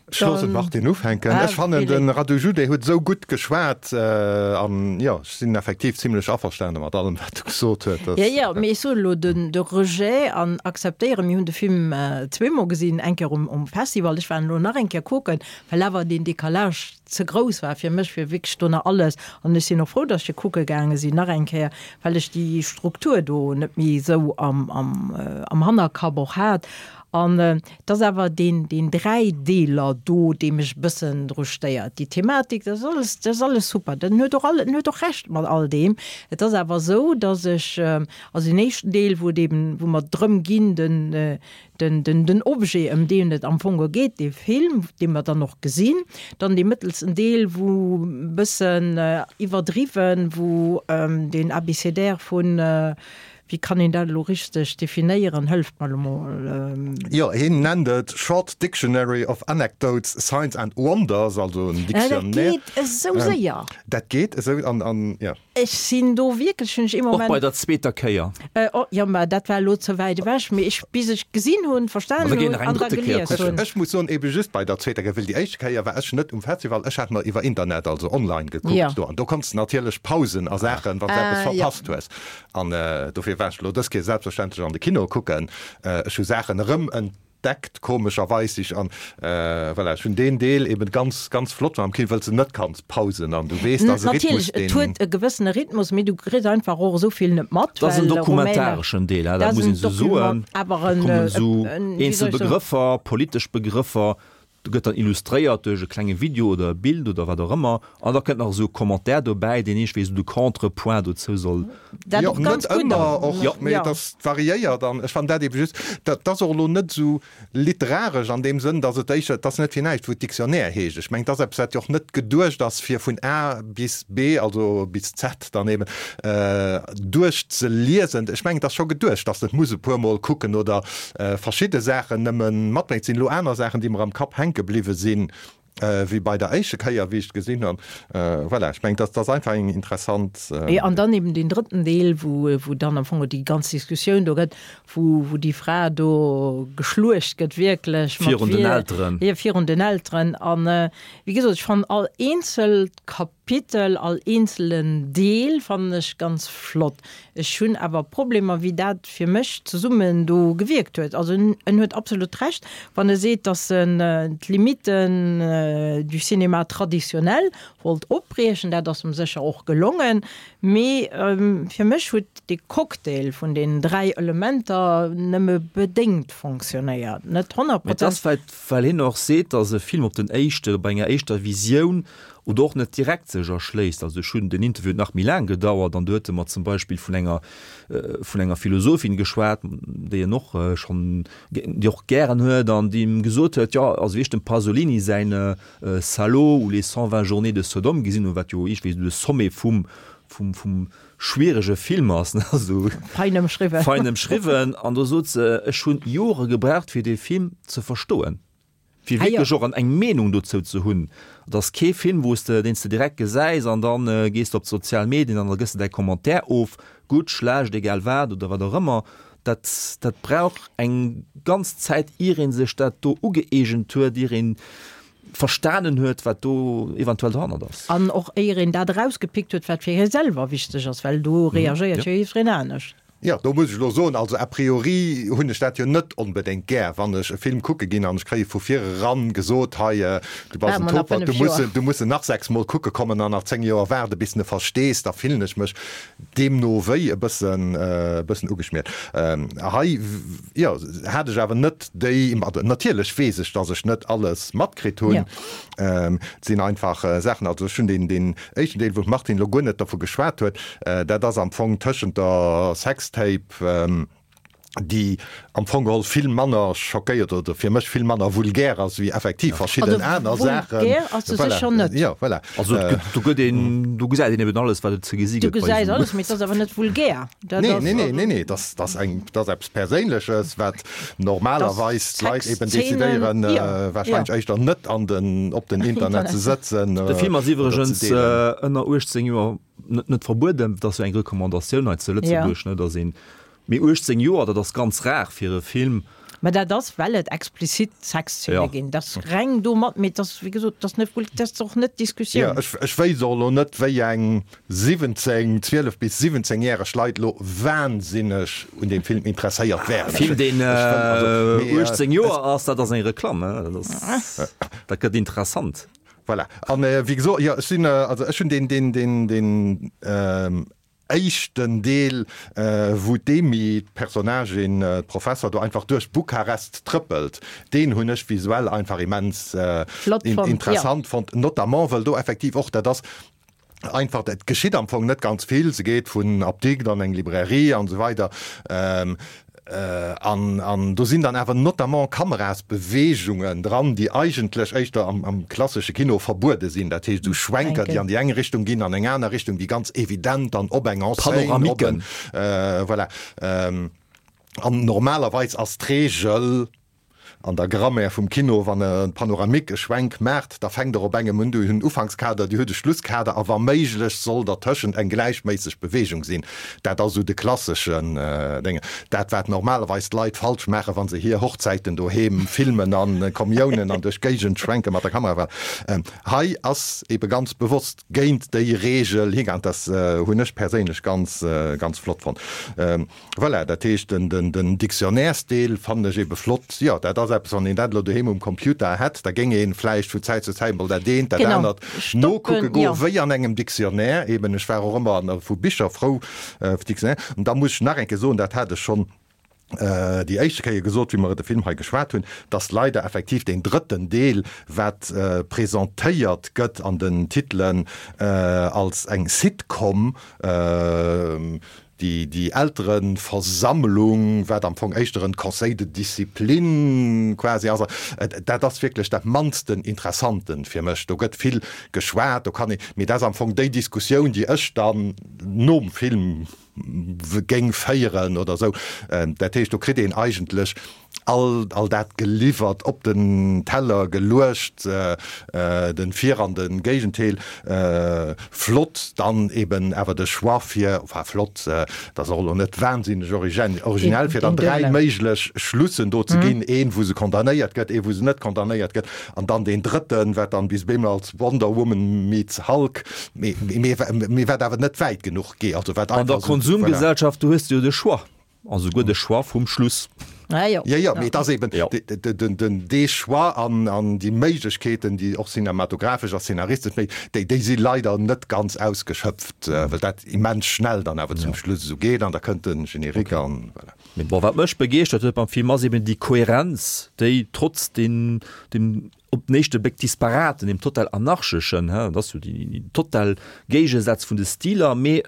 Ech loossen d'Martine ufänken. Ech fannen, de Radu Jude huet esou gutt geschwat an jo, ech sinn effektiv zimlech averstane mat allem, wat e gesot huet. Jo, jo, mee ech soen elo, de Rejet an akzeptéieren, mir hunn de Film zweemol gesinn, eng Kéier um Festival, ech war en elo nach eng Kéier kucken, well awer deen Décalage ze grouss war fir mech, fir wierklech do nach alles, an ech sinn och frou, dass ech e kucke gaange sinn nach eng Kéier, well ech déi Struktur do net méi esou am, am, am Hannerkapp och hat. An et ass awer deen, deen Dräideeler do, dee mech e bëssen dru stéiert. Déi Thematik, dat ass alles, dat ass alles super, den huet och all, en huet och Recht mat all deem. Et ass awer esou, dass ech, also deen éischten Deel, wou et eben, wou mer drëm ginn, den, Den, den, den Objet, ëm deen et am Fong geet, dee Film, dee mer dann och gesinn, dann dee mëttelsten Deel, wou e bëssen iwwerdriwwen, wou deen Abécédaire vun, wéi kann een dat elo richteg definéieren, hëlleft mer elo mol. Jo, hien nennt et Short Dictionary of Anecdotes, Signs and Wonders, also en Dictionnaire. Dat geet esou séier. Dat geet esou, an, an, jo. Ech sinn do wierklech, hunn ech ee Moment. Och bei der zweeter Kéier. Oh, jo, mä dat war elo ze wäit ewech. Mee ech, bis ech gesinn hunn, verstanen hunn an da gelies hunn. Ech muss soen, ebe just bei der zweeter Kéier, well déi éischt Kéier war ech net um Festival, ech hat mer iwwer Internet, also online gekuckt do. An do konns de natierlech pausen a Saachen, wann s de eppes verpasst hues. An dofir war ech elo dës Kéier selbstverständlech an de Kino kucken. Ech hu Saachen erëm Deckt komescherweis sich an voilà, ech hunn deen Deel eben ganz ganz flott am Kino, wëlls de net kanns pausen an du weess dass e Rhythmus deen. Natierlech, et huet e gewëssene Rhythmus, mee du kriss einfach och esou vill net mat, Dat ass en dokumentareschen Deel, dat muss een esou soen. Awer en, Do kommen esou eenzel Begrëffer, politesch Begrëffer, do gëtt dann illustréiert duerch e klenge Video oder e Bild oder wat och ëmmer an da kënnt nach esou e Commentaire dobäi, deen iergendwéi esou de Contrepoint dozou soll. Dat Jo, och ganz net gutt ëmmer ass. och, Jo. mee et ass variéiert an ech fannen dat ebe just, dat ass och elo net esou literaresch an deem Sënn, datt et éischter, et ass net fir näischt wou et Dictionnaire heescht. Ech mengen, et ass eppes wat jo och net geduecht ass fir vun A bis B, also bis Z dann eben, duerchzeliesen. Ech mengen, et ass scho geduecht, datt s de et muss e puermol kucken oder verschidde Saachen nëmme matbréngt. Et sinn elo aner Saachen, déi mer am Kapp hänke bliwwe sinn, wéi bei der éischte Kéier, wéi ech et gesinn hunn. Voilà, ech mengen, dat ass einfach eng interessant. Jo, an dann eben deen drëtten Deel, wou, wou dann am Fong déi ganz Diskussioun do gëtt, wou, wou déi Fra do geschluecht gëtt, wierklech mat Virun den Elteren. Jo, virun den Elteren. An, wéi gesot, ech fannen all eenzelt Kapitel, all eenzelen Deel fannen ech ganz flott. Ech hunn awer Problemer, wéi dat fir mech zesummen do gewierkt huet. Also en huet absolut Recht, wann e seet, datt en d'Limiten du cinéma traditionnel wollt opbriechen. Dat ass em sécher och gelongen. Mee fir mech huet dee Cocktail vun deenen 3 Elementer nëmme bedéngt fonctionnéiert, net 100 Mee et ass vläicht, well hien och seet, datt e Film op den éischte, op enger éischter Visioun oder och net direkt sech erschléisst. Also ech hunn, den Interview huet nach méi laang gedauert an do huet e mer zum Beispill vun enger, vun enger Philosophin geschwat, déi en och schonn, déi och gären huet an déi em gesot huet, jo, also wéi ech dem Pasolini säin Salò ou les 120 journées de Sodome gesinn hunn, wat jo iergendwéi esou de Sommet vum, vum, vum schwierege Film ass, ne, also Fein ëmschriwwen. Fein ëmschriwwen. An do sot se, ech hunn Jore gebraucht, fir dee Film ze verstoen. Fir wierklech och eng Meenung dozou ze hunn. Et ass kee Film, wou s de, deen s de direkt gesäis an da gees de op d'sozial Medien an da gëss de däi Commentaire of, gutt, schlecht, egal wat oder wat och ëmmer. Dat, dat brauch eng ganz Zäit, ier ee sech dat do ugëeegent huet, ier ee verstanen huet, wat do eventuell dohannert ass. An och éier een dat erausgepickt huet, wat fir hie selwer wichteg ass, well do reagéiert jo jiddwereen anescht. Jo, do muss ech elo soen, also a priori hunn ech dat jo net onbedéngt gär, wann ech e Film kucke ginn an ech kréie vu vir eran gesot, hei, du bass en Topert, du muss en, du muss en nach sechsmol kucke kommen an nach 10 Joer waarde bis de e verstees, da fillen ech mech deemno wéi e bëssen, e bëssen ugeschmiert. Hei, jo, hat ech awer net déi, also natierlech weess ech, dass ech net alles matkritt hunn, et sinn einfach Saachen, also ech hunn deen, deen éischten Deel, wou d'Martine elo guer net dervu geschwat huet, dat ass am Fong tëschent der Sextape, déi am Fong geholl vill manner schockéiert oder fir mech vill manner vulgär ass wéi effektiv verschidden aner Saachen. Vulgär ass se sécher net. Jo, voilà. Also et gëtt, do gëtt een, do gesäit een eben alles, wat et ze gesi gëtt. Du gesäis alles, mee et ass awer net vulgär. Nee, nee, nee, nee, nee, dat ass eng, dat ass eppes Perséinleches, wat normalerweis d'Leit eben decidéieren, warscheinlech éischter net an den, op den Internet ze sëtzen. De Film ass iwwregens ënner 18 Joer net, net verbueden. Dat ass jo eng Recommandatioun hei zu Lëtzebuerg, ne, dass een, mee 18 Joer, dat ass ganz rar fir e Film. Mä dat ass, well et explizit Sexzeene ginn. Dat ass reng domat, mee et ass, wéi gesot, et ass net, dat ass och net d'Diskussioun. Jo, ech wéisst och elo net, wéi eng 17, 12 bis 17 järeg Leit elo wahnsinneg un deem Film interesséiert wären. Film deen 18 Joer ass, dat ass eng Reklamm, dat gëtt interessant. Voilà, an wéi gesot, jo, ech sinn, also ech hunn deen, deen, deen, deen éischten Deel, wou d'Amy, d'Personnagin, d'Professer do einfach duerch Bukarest trëppelt, deen hunn ech visuell einfach immens interessant fonnt, notamment well do effektiv och, dat ass einfach, et geschitt am Fong net ganz vill, se geet vun Apdikt an eng Librairie an esou weider an an do sinn dann awer notamment Kamerasbeweegungen dran, déi eigentlech éischter am am klassesche Kino verbuede sinn, dat heescht esou Schwenker, déi an déi eng Richtung ginn, an eng aner Richtung, déi ganz evident dann op eng Enseigne, op en, voilà. An normalerweis ass d'Reegel, An der Grammaire vum Kino, wann e Panoramique e Schwenk maacht, da fänkt er op engem un, Dir hutt en Ufankskader, Dir hutt e Schlusskader a wa méiglech soll dertëschent eng gläichméisseg Beweegung sinn. Dat ass esou de klasseschen Dénge. Dat wat normalerweis d'Leit falsch maachen, wa se hir Hochzäiten doheem filmen a Kommiounen an duerch d'Géigend schwenke mat der Kamera. Hei ass ebe ganz bewosst géint déi Reegel higaang. Dat hunn ech perséinlech ganz, ganz flott fonnt. Voilà, dat heescht den Dictionnairesdeel fannen ech ebe flott. Jo, dat ass eppes, wann een dat elo doheem um Computer hätt, da géing ee vläicht vu Zäit zu Zäit mol dat eent, dat anert nokucke goen, wéi an engem Dictionnaire eben. Ech war och ëmmer vu Bicher frou, vu Dictionnaire. An da muss ech nach eng Kéier soen, dat hat ech schonn déi éischte Kéier gesot, wéi mer de Film hei geschwat hunn, dass leider effektiv deen drëtten Deel, wat presentéiert gëtt an den Titelen als eng Sitcom, Déi Eltereversammlung, wat am Fong éischter en Conseil de discipline quasi ass, dat ass wierklech dat mannsten Interessanten fir mech. Do gëtt vill geschwat, do kann ee, mee dat ass am Fong déi Diskussioun, déi ech dann nom Film géing féieren oder esou. Dat heescht, do kritt een eigentlech all all dat geliwwert, op den Teller geluecht, den Vir an den Géigentheel. Flott dann eben awer de Choix fir, enfin flott, dat ass och elo net wahnsinneg originell, fir dann 3 méiglech Schlussen do ze ginn, een wou se condamnéiert gëtt, ee wou se net condamnéiert gëtt an dann deen drëtten, wat dann bis bemol als Wonder Woman meets Hulk, mee mee wat awer net wäit genuch geet, also wat einfach. An der Konsumgesellschaft, do hues de jo de Choix. A souguer de Choix vum Schluss. Ah, jo. Jo, jo, mee et ass eben den, dee Choix an, an déi Méiglechkeeten, déi och cinematographesch a szenaristesch méi, déi, déi si leider net ganz ausgeschöpft, well dat immens schnell dann awer zum Schluss esou geet an da kënnt de Générique an voilà. Mee bon, wat mech begeeschtert huet beim Film ass eben déi Kohärenz, déi trotz den, dem op den éischte Bléck disparaten, dem total anarcheschen, dat ass jo déi total Géigesätz vun de Stiler, mee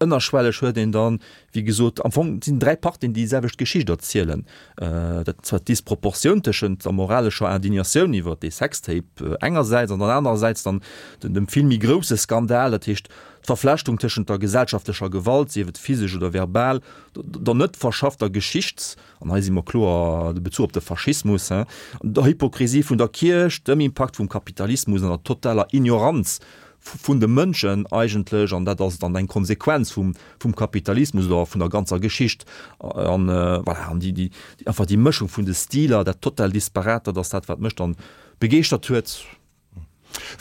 Ënnerschwelleg huet een dann, wéi gesot, am Fong sinn 3 Partien, déi déi selwecht Geschicht erzielen. Dat zwar d'Disproportioun tëschent der moralescher Indignatioun iwwer dee Sextape engersäits an dann anerersäits dann dem vill méi grousse Skandal, dat heescht d'Verflechtung tëschent der gesellschaftlecher Gewalt, sief et physesch oder verbal, der net verschaffter Geschichts-, an hei si mer kloer de Bezuch op de Faschismus, der Hypokrisie vun der Kierch, dem Impakt vum Kapitalismus an der totaler Ignoranz vun de Mënschen eigentlech, an dat ass dann eng Konsequenz vum, vum Kapitalismus oder vun der ganzer Geschicht. An voilà, an déi, déi, einfach déi Mëschung vun de Stiler, dat total Disparate, dat ass dat, wat mech dann begeeschtert huet.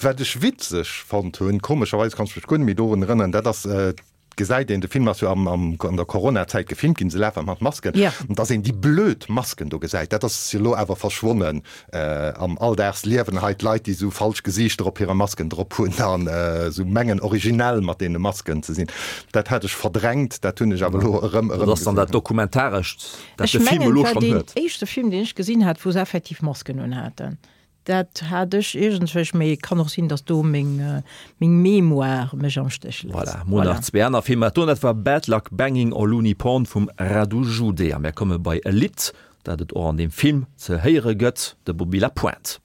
Wat ech witzeg fonnt hunn, komescherweis kann ech mech guer net méi dorun erënneren, dat ass. gesäit een, de Film ass jo am, am, an der Coronazäit gefilmt ginn, se lafe mat Masken, Ja. dass een déi blöd Masken do gesäit, dat ass jo elo awer verschwonnen am Alldagsliewen hei, d'Leit, déi esou falsch Gesiichter op hire Masken drop hunn an esou mengen, originell mat deene Masken ze sinn. Dat hat ech verdrängt, dat hunn ech awer elo erëm, Dat ass dann erëmgesinn. dat Dokumentarescht, dat Ech de Film mengen, elo et war schonn deen huet. éischte Film, deen ech gesinn hat, wou se effektiv Masken unhaten. Dat hat ech iergendwéi, mee et kann och sinn, datt do meng meng Mémoire mech am Stéch léisst. Voilà, mol nach zwee aner Filmer. Dat do, dat war Bad Luck Banging or Looney Porn vum Radu Jude. A mär komme bei e Lidd, dat et och an deem Film ze héiere gëtt, de Bobby Lapointe.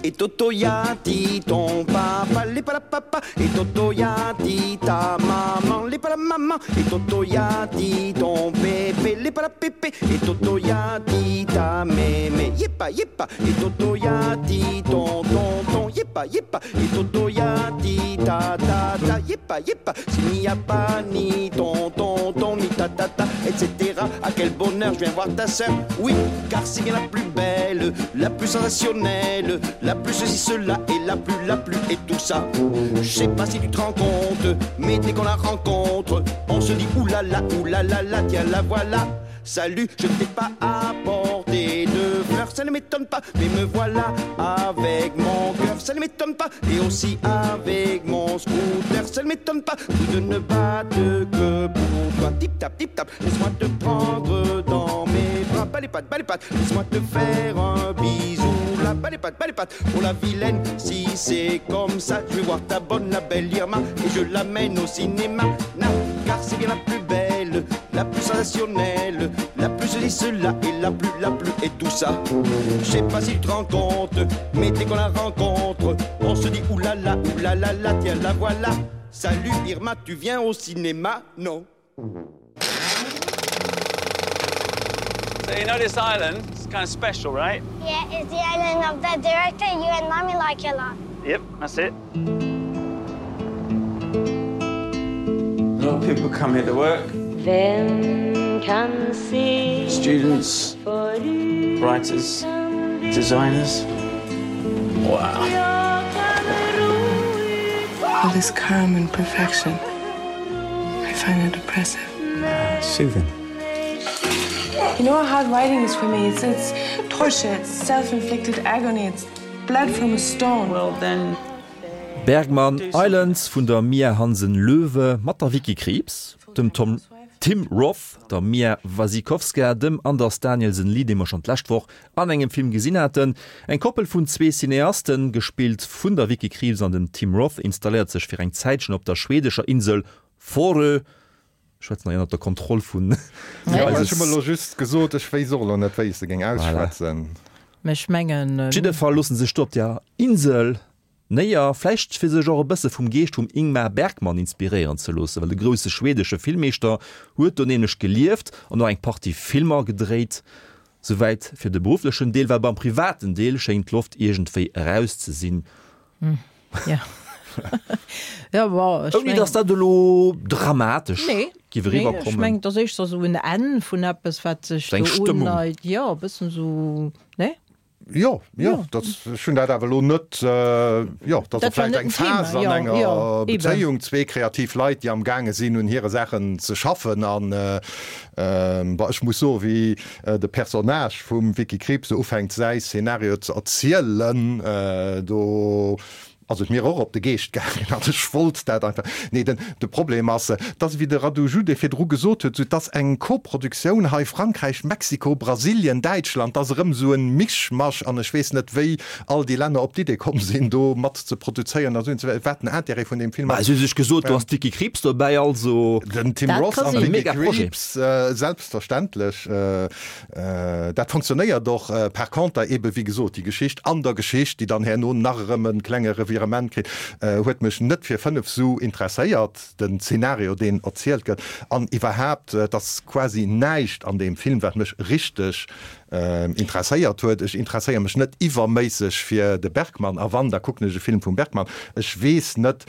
Et Toto ya dit ton papa les pas la papa Et Toto ya dit ta maman les pas la maman Et Toto ya dit ton pépé les pas la pépé Et Toto ya dit ta mémé Yepa yepa Et Toto ya dit ton tonton Yepa yepa Et Toto ya dit ta ta ta Yepa yepa S'il n'y a pas ni ton tonton ni ta ta ta etc À quel bonheur je viens voir ta sœur Oui car c'est bien la plus belle La plus sensationnelle La plus ceci cela et la plus la plus et tout ça Je sais pas si tu te rends compte Mais dès qu'on la rencontre On se dit oulala oulala la tiens la voilà Salut, je ne t'ai pas apporté de fleurs, ça ne m'étonne pas, mais me voilà avec mon cœur, ça ne m'étonne pas, et aussi avec mon scooter, ça ne m'étonne pas, tout de ne battre que pour toi. Tip tap, tip tap, laisse-moi te prendre dans mes bras, bas les pattes, bas les pattes, laisse-moi te faire un bisou, là, bas les pattes, bas les pattes, pour la vilaine, si c'est comme ça, je vais voir ta bonne, la belle Irma, et je l'amène au cinéma, na, car c'est bien la plus belle, la plus sensationnelle, la plus ceci, cela et la plus, la plus et tout ça. Je sais pas si tu te rends compte, mais dès qu'on la rencontre, on se dit oulala, oulala, la, tiens la voilà. Salut Irma, tu viens au cinéma? Non. So you know this island, it's kind of special, right? Yeah, it's the island of that director you and mommy like a lot. Yep, that's it. A lot of people come here to work. Students, writers, designers. Wow. All this calm and perfection. I find it oppressive. Uh, soothing. You know how hard writing is for me. It's, it's torture, it's self-inflicted agony, it's blood from a stone. Well then Bergman Islands vun der Mia Hansen-Løve mat der Vicky Krieps, dem Tom Tim Roth, der Mia Wasikowska, dem Anders Danielsen Lie, dee mer schonn d'lescht Woch an engem Film gesinn haten. Eng Koppel vun zwee Cineasten, gespillt vun der Vicky Krieps an dem Tim Roth, installéiert sech fir eng Zäitchen op der schwedescher Insel Fårö. Ech schwätzen hei ënnert der Kontroll vun Jo, ech hu mer elo just gesot, ech wéisst och elo net, wéi ech se géing ausschwätzen. Mä ech mengen. Op jidde Fall loosse sech do op der Insel néier, vläicht fir sech och e bësse vum Geescht vum Ingmar Bergman inspiréieren ze loossen, well de grousse schwedesche Filmmeeschter huet do nämlech gelieft an och eng Partie Filmer gedréit. Souwäit fir de berufflechen Deel, well beim privaten Deel schéngt d'Loft iergendwéi eraus ze sinn. Ouni datt dat elo dramatesch giff eriwwer kommen. Ech mengen, et ass éischter esou en Enn vun eppes, wat sech do undeit. Jo, e bëssen esou, nee? Jo, jo, dat, ech hunn dat awer elo net, jo, dat ass vläicht eng Phas an enger Bezéiung, zwee kreativ Leit, déi am gaange sinn, un hire Saachen ze schaffen. An bon, ech muss soen, wéi de Personnage vum Vicky Krieps do ufänkt, säi Szenario ze erzielen, do ass et mir och op de Geescht gaangen an ech wollt dat einfach. Nee, den, de Problem ass, dass, wéi de Radu Jude virdru gesot huet, sou, dass eng Koproduktioun hei, Frankräich, Mexiko, Brasilien, Däitschland, dass erëm esou en Mischmasch an ech weess net, wéi all déi Länner op d'Idee komm sinn, do mat ze produzéieren a sou, wat den Intérêt vun deem Film ass. Mä si hu sech gesot, do ass d'Vicky Krieps dobäi, also. Den Tim Roth an d'Vicky Krieps, selbstverständlech. Dat fonctionnéiert och. Par conter eebe wéi gesot, déi Geschicht an der Geschicht, déi dann herno nach erëm e klenge Revirement kritt, huet mech net fir 5 Su interesséiert, den Zeenario, deen erzielt gëtt. An iwwerhaapt, et ass quasi näischt an deem Film, wat mech richteg. Interesséiert huet. Ech interesséiere mech net iwwerméisseg fir de Bergman, a wann, da kucken ech e Film vum Bergman. Ech weess net,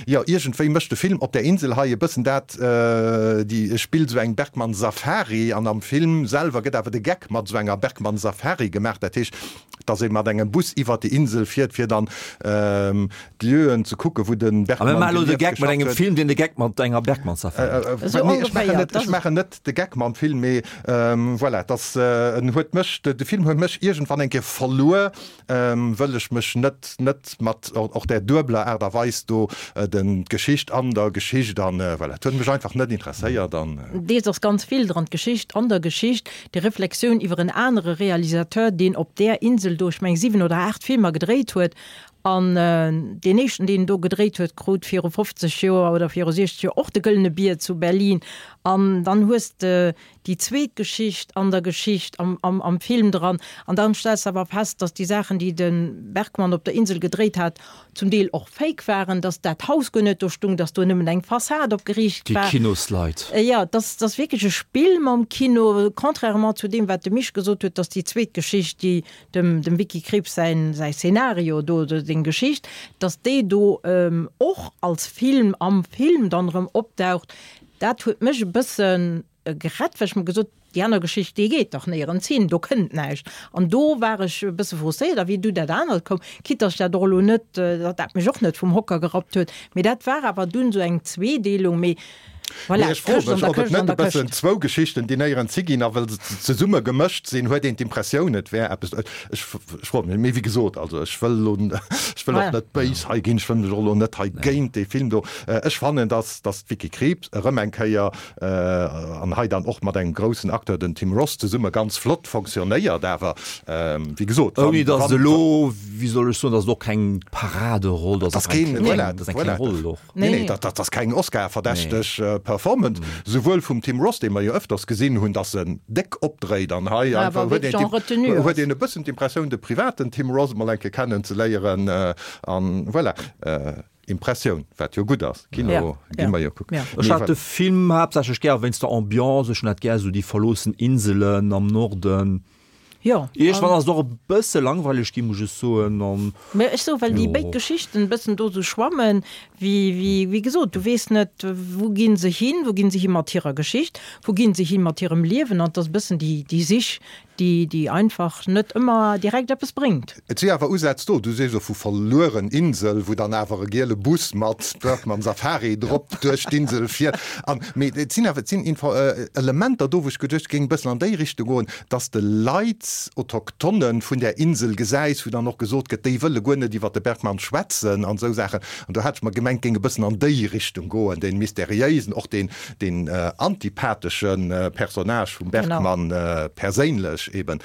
jo, iergendwéi mécht de Film op där Insel hei e bëssen dat, déi spillt esou eng Bergman-Safari, an am Film selwer gëtt awer de Geck mat esou enger Bergman-Safari gemaach, dat heescht, dass ee mat engem Bus iwwert déi Insel fiert, fir dann d'Lieuen ze kucken, wou de Bergman gelieft, geschafft huet. A mir maachen elo de Geck mat engem Film, deen de Geck mat enger Bergman-Safari mécht. Nee, ech maachen net, ech maachen net de Geck mam Film, mee voilà, dass en huet mech, de Film huet mech iergendwann eng Kéier verluer, wëll ech mech net net mat och där duebeler Aart a Weis do, den d'Geschicht an der Geschicht an voilà, et huet mech einfach net interesséiert an. Deels ass ganz vill dran, d'Geschicht an der Geschicht, déi Reflexioun iwwer en anere Realisateur, deen op där Insel do, ech meng 7 oder 8 Filmer gedréit huet, An deen éischten, deen do gedréit huet, krut viru 50 Joer oder viru 60 Joer och de Gëllene Bier zu Berlin. An dann hues de déi zweet Geschicht an der Geschicht am, am, am Film dran. An dann stells de awer fest, datt déi Saachen, déi de Bergman op der Insel gedréit hat, zum Deel och fake waren, datt dat Haus guer net do stung, datt do nëmmen eng Fassad opgeriicht Déi war. Kinosleit. Jo, et ass, et ass wierklech e Spill mam Kino, contrairement zu deem, wat de Misch gesot huet, datt déi zweet Geschicht, déi dem dem Vicky Krieps säin säi Szenario do, oder seng Geschicht, datt déi do och als Film am Film dann erëm opdaucht, dat huet mech e bësse gerett, well ech mer gesot, déi aner Geschicht, déi geet dach néierens hin, do kënnt näischt. An do war ech e bësse frustréiert. A wéi du dat anert koum, quitte datt ech dat och elo net, datt dat mech och net vum Hocker gerappt huet, mee dat war awer dunn esou eng Zweedeelung, mee Voilà, Mee ech froe mech, ob et net e bëssen zwou Geschichten, déi néierens higinn, a well se zesumme gemëscht sinn, huet een d'Impressioun, et wär eppes. Ech froe mech, mee wéi gesot, also ech wëll elo, ech wëll och net béis hei ginn, ech wëll mech och elo net hei géint dee Film do. Ech fannen, dass, dass d'Vicky Krieps erëm eng Kéier, an hei dann och mat engem groussen Acteur, dem Tim Roth, zesumme ganz flott fonctionnéiert, awer wéi gesot, wann, Ouni dass et elo, wéi soll ech soen, dass et och keng Paraderoll, dass et keng, voilà, dass eng kleng Roll och. Nee, nee, dat ass keng Oscar-verdächteg Performance, souwuel vum Tim Roth, dee mer jo ëfters gesinn hunn, datt en déck opdréit an hei einfach huet een huet een e bëssen d'Impressioun, de privaten Tim Roth emol eng Kéier kennen ze léieren an voilà, Impressioun, wat jo gutt ass. Kino gi mer jo kucken. Ech hat de Film haaptsächlech gär wéinst der Ambiance, ech hunn dat gär esou déi verloossen Inselen am Norden. Jo. Iergendwann ass et och e bësse langweileg ginn, muss ech soen. An. Mä ech soe well déi béid Geschichten e bëssen do sou schwammen, wéi, wéi, wéi gesot, du weess net, wou gi se hin, wou gi se hi mat hirer Geschicht, wou gi se hi mat hirem Liewen, an et ass e bëssen déi, déi Sich, déi, déi einfach net ëmmer direkt eppes bréngt. Et si awer Usätz do, du sees elo vu verlueren Insel, wou dann awer e giele Bus mat Bergman Safari drop duerch d'Insel fiert. An, mee et sinn awer, et sinn Info, Elementer do, wou ech geduecht, géing e bëssen an déi Richtung goen, dass de Leit, Autochtonnen vun där Insel gesäis, wou dann och gesot gëtt, déi wëlle guer net iwwer de Bergmann schwätzen an esou Saachen. An do hat ech mer gemengt, géing e bëssen an déi Richtung goen, dee mysteriéisen, och deen, deen antipathesche Personnage vum Bergmann perséinlech eben.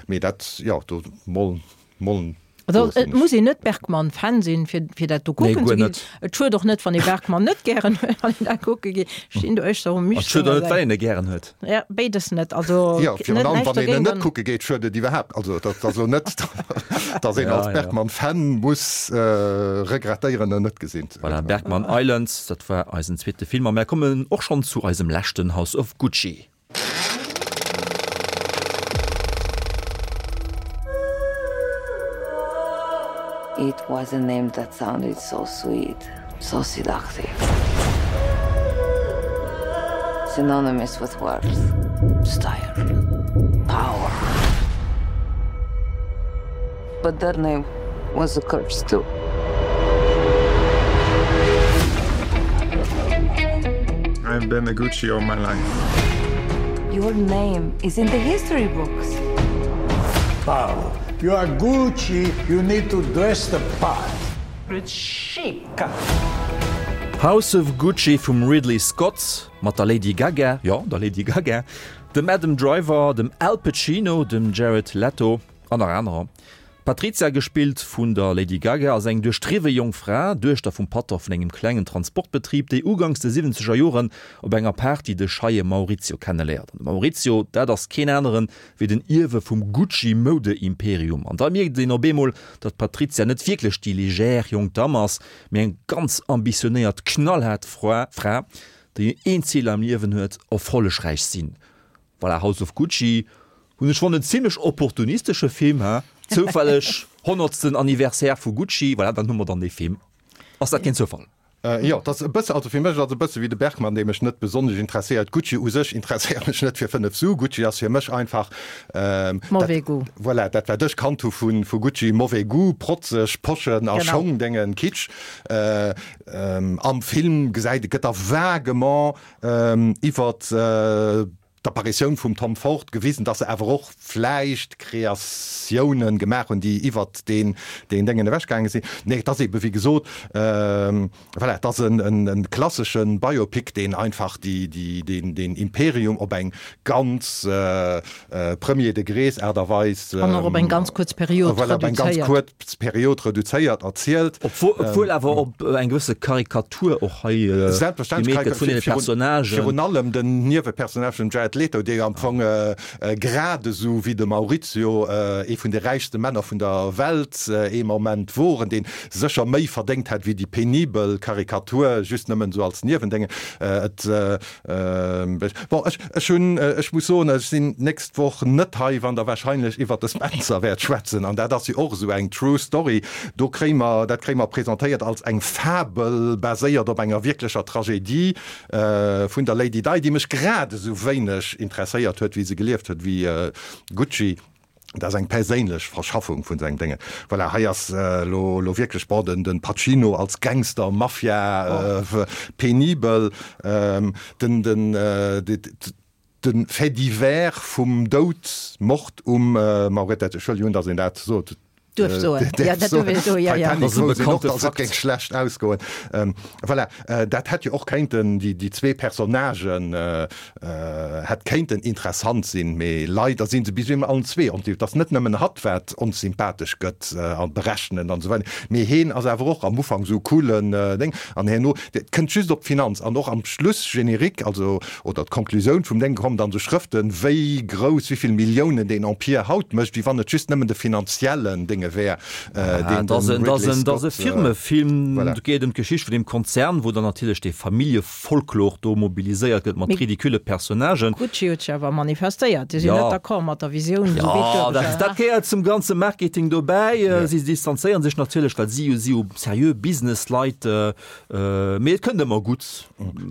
Mee dat, jo, do mol, mol. Also et muss een net Bergman-Fan sinn, fir, fir dat do kucken ze ginn. Et schued och net, wann ee Bergman net gären huet, wann een dat kucke geet. Ech stinn do éischter um Mich. Et schued och net, well een e gären huet. Ja, béides net. Also Jo, virun allem, wann een en net kucke geet, schued et iwwerhaapt. Also dat ass elo net, datt een als Bergman-Fan muss regrettéieren, en net gesinn ze hunn. Voilà, Bergman Island, dat war eisen zweete Film. A mär kommen och schonn zu eisem leschten House of Gucci. It was a name that sounded so sweet, so seductive. Synonymous with wealth, style, power. But that name was a curse too. I've been a Gucci all my life. Your name is in the history books. Paolo, you are Gucci, you need to dress the part. It's chic. House of Gucci vum Ridley Scott mat der Lady Gaga, jo, der Lady Gaga, dem Adam Driver, dem Al Pacino, dem Jared Leto an nach anerer. D'Patrizia, gespillt vun der Lady Gaga, ass eng duerchdriwwe jonk Fra, Duechter vum Patron vun engem klengen Transportbetrib, déi uganks de siwwenzeger Joren op enger Party de scheie Maurizio kenneléiert. An de Maurizio, dat ass keen aneren wéi den Ierwe vum Gucci-Moude-Imperium. An da mierkt een op eemol, datt d'Patrizia net wierklech déi légère jonk Damm ass, mee eng ganz ambitionéiert, knallhaart Fra, déi een Zil am Liewen huet, erfollegräich sinn. Voilà, House of Gucci. Hunn ech fonnt en zimlech opportunistesche Film, he? Zoufälleg honnertsten Anniversaire vu Gucci, voilà, dann hu mer dann dee Film. Ass dat keen Zoufall? Jo, et ass e bësse, also fir mech ass et e bësse wéi de Bergman, dee mech net besonnesch interesséiert. Gucci u sech interesséiert mech net fir 5 Su. Gucci ass fir mech einfach dat, Mauvais goût. voilà, dat wat ech kannt hu vu vu Gucci, mauvais goût, protzeg Poschen a Schong, Déngen, Kitsch. Am Film gesäit, gëtt da vaguement iwwert d'Apparitioun vum Tom Ford gewisen, dass se awer och vläicht Kreatiounen gemaach hunn, déi iwwert deen deen Déngen ewechgaange sinn. Nee, et ass eebe wéi gesot, voilà, et ass en en klassesche Biopic, deen einfach déi déi deen deen Imperium op eng ganz premier degrés Aart a Weis, An och op eng ganz kuerz Period voilà, op eng ganz reduzéiert. kuerz Period reduzéiert erzielt. Obwuel awer op eng gewësse Karikatur Tour och hei gemeet gëtt vun deene Personnagen. Virun allem den Niewepersonnage vum Jared Leto, dee jo am Fong grad esou wéi de Maurizio ee vun de räichste Männer vun der Welt ee Moment wor, en deen sécher méi verdéngt hätt wéi déi penibel Karikatur just nëmmen esou als Niewendénge. Et Bon, ech, ech hunn, ech muss soen, ech sinn d'nächst Woch net hei, wann Der wahrscheinlech iwwert de Spencer wäert schwätzen. An dat ass jo och esou eng true story. Do kréie mer, dat kréie mer presentéiert als eng Fabel, baséiert op enger wierklecher Tragedie vun der Lady Di, déi mech grad esou wéineg interesséiert huet, wéi se gelieft huet, wéi Gucci. Dat ass eng perséinlech Verschaffung vun sengem Déngen. Voilà, hei ass elo elo wierklech, bon, den den Pacino als Gangster, Mafia, penibel, den den de Fait divers vum Doud, Mord um Maurette, Entschëllegung, datt een dat sot, Duerf soen. Ja, dat duerf een soen, ja, ja. Titanic wouss een och, datt et géing schlecht ausgoen. Voilà, dat hätt jo och kéinten, déi déi zwee Personnagen hätt kéinten interessant sinn, mee leider si se bis ewell allen zwee onsympathesch. Et ass net nëmmen hatt, wat onsympathesch gëtt a berechnend an esou weider, mee heen ass awer och am Ufank esou e coolen Déng an herno, et kënnt just op d'Finanz an och am Schlussgenerique, also oder d'Konklusioun vum Déng kommen dann esou Schrëften, wéi grouss, wéi vill Milliounen deen Empire haut mécht, wéi wann et just nëmmen de finanziellen Dénge wär, deen de Ridley Scott. Dat ass e Firmefilm, do geet et ëm d'Geschicht vun deem Konzern, wou dann natierlech dee Familljefolklor do mobiliséiert gëtt mat ridicule Personnagen. Gucci huet sech awer manifestéiert, déi sinn net d'accord mat der Visioun, esou wéi et duergestallt. Jo, dat gehéiert zum ganze Marketing dobäi. Si distanzéiere sech natierlech, well si si jo seriö Businessleit. Mee et kënnt ëmmer gutt.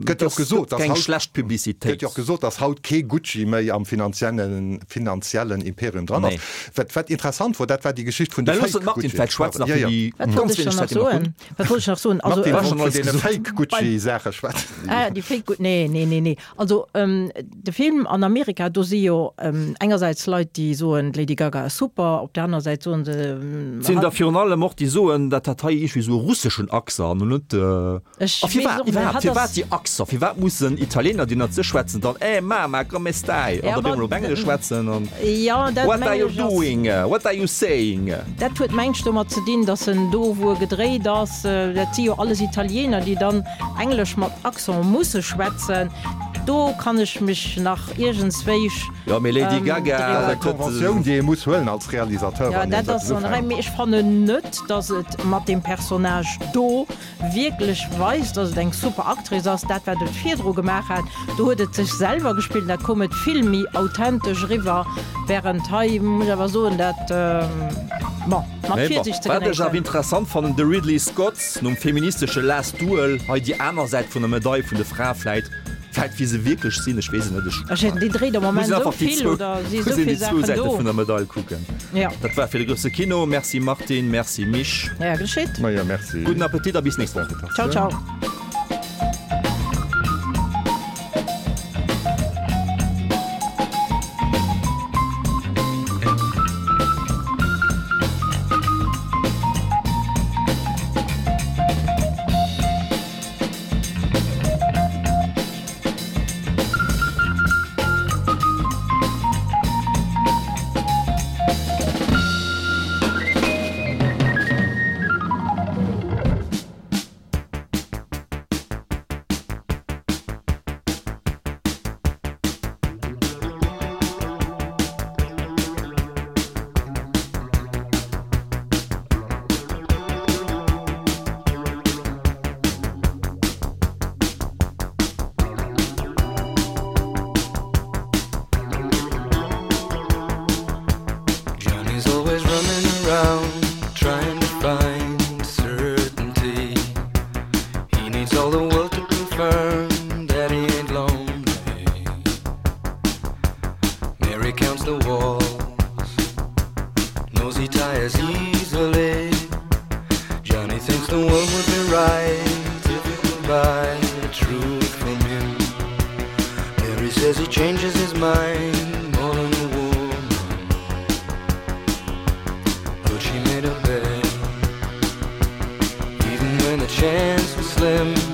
Gëtt jo och gesot, dass haut, schlecht Publicitéit. Gëtt jo och gesot, dass haut kee Gucci méi am finanziellen, finanziellen Imperium dran ass. Wat, wat interessant wor, dat war déi Geschicht vun de Fake Gucci. Martine, vläicht schwätz nach fir déi Wat wollt ech dann nach soen? Wat wollt ech nach soen? Also, Martine wollt vun deene Fake Gucci-Saache schwätzen. Ah, déi Fake Gucci, nee, nee, nee, nee. Also, de Film an Amerika, do si jo engersäits Leit, déi soen, d'Lady Gaga ass super, op der anerer Säit soen se. Et sinn der virun allem och, déi soen, dat hätt hei iergendwéi esou e russeschen Accent an net. Ech A weess firwat och net, iwwerhaapt, hatt firwat ass. déi Accent? Firwat mussen Italiener, déi net sech schwätzen, dann Eh mama, come stai? Ja, an da op ma eemol op Englesch schwätzen an Jo, dat What are mengen you ech ass. doing? What are you saying? Dat huet mengt ech domat ze dinn, datt en do, wou e gedréit ass, dat si jo alles Italiener, déi dann Englesch mat Accent musse schwätzen, do kann ech mech nach iergendswéich Jo, mee Lady Gaga, Dat ass dat eng Conventioun, déi ee muss huelen als Realisateur, Jo, wann een dat esou ass an der Rei, ufänkt. mee ech fannen net, datt et mat deem Personnage do wierklech weist, datt et eng super Actrice ass. Dat, wat et virdru gemaach hat, do huet et sech selwer gespillt, da koum et vill méi authentesch eriwwer, wärend hei, muss ech awer soen, dat, bon, mat Mee bon, Virsiicht ze wat ech awer genéissen. interessant fannen, de Ridley Scott, nom feministesche Last Duel, hei déi aner Säit vun der Medail vun de Frae vläit, vläit wéi se wierklech sinn, ech weess et net, ech Ech hätt, déi dréit am muss Moment een esou einfach déi vill zwou, oder si muss esou een vill déi zwou Saachen Säite do. vun der Medail kucken. Ja. Dat war fir de grousse Kino. Merci Martine, merci Misch. Ja, geschitt. Majo, merci. Gudden Appetit a bis nächst Woch. Ciao, ciao. around trying to find certainty. He needs all the world to confirm that he ain't lonely. Mary counts the walls, knows he tires easily. Johnny thinks the world would be right if he could buy the truth from him. Mary says he changes his mind more than a woman. But she made a bed, even when the chance was slim.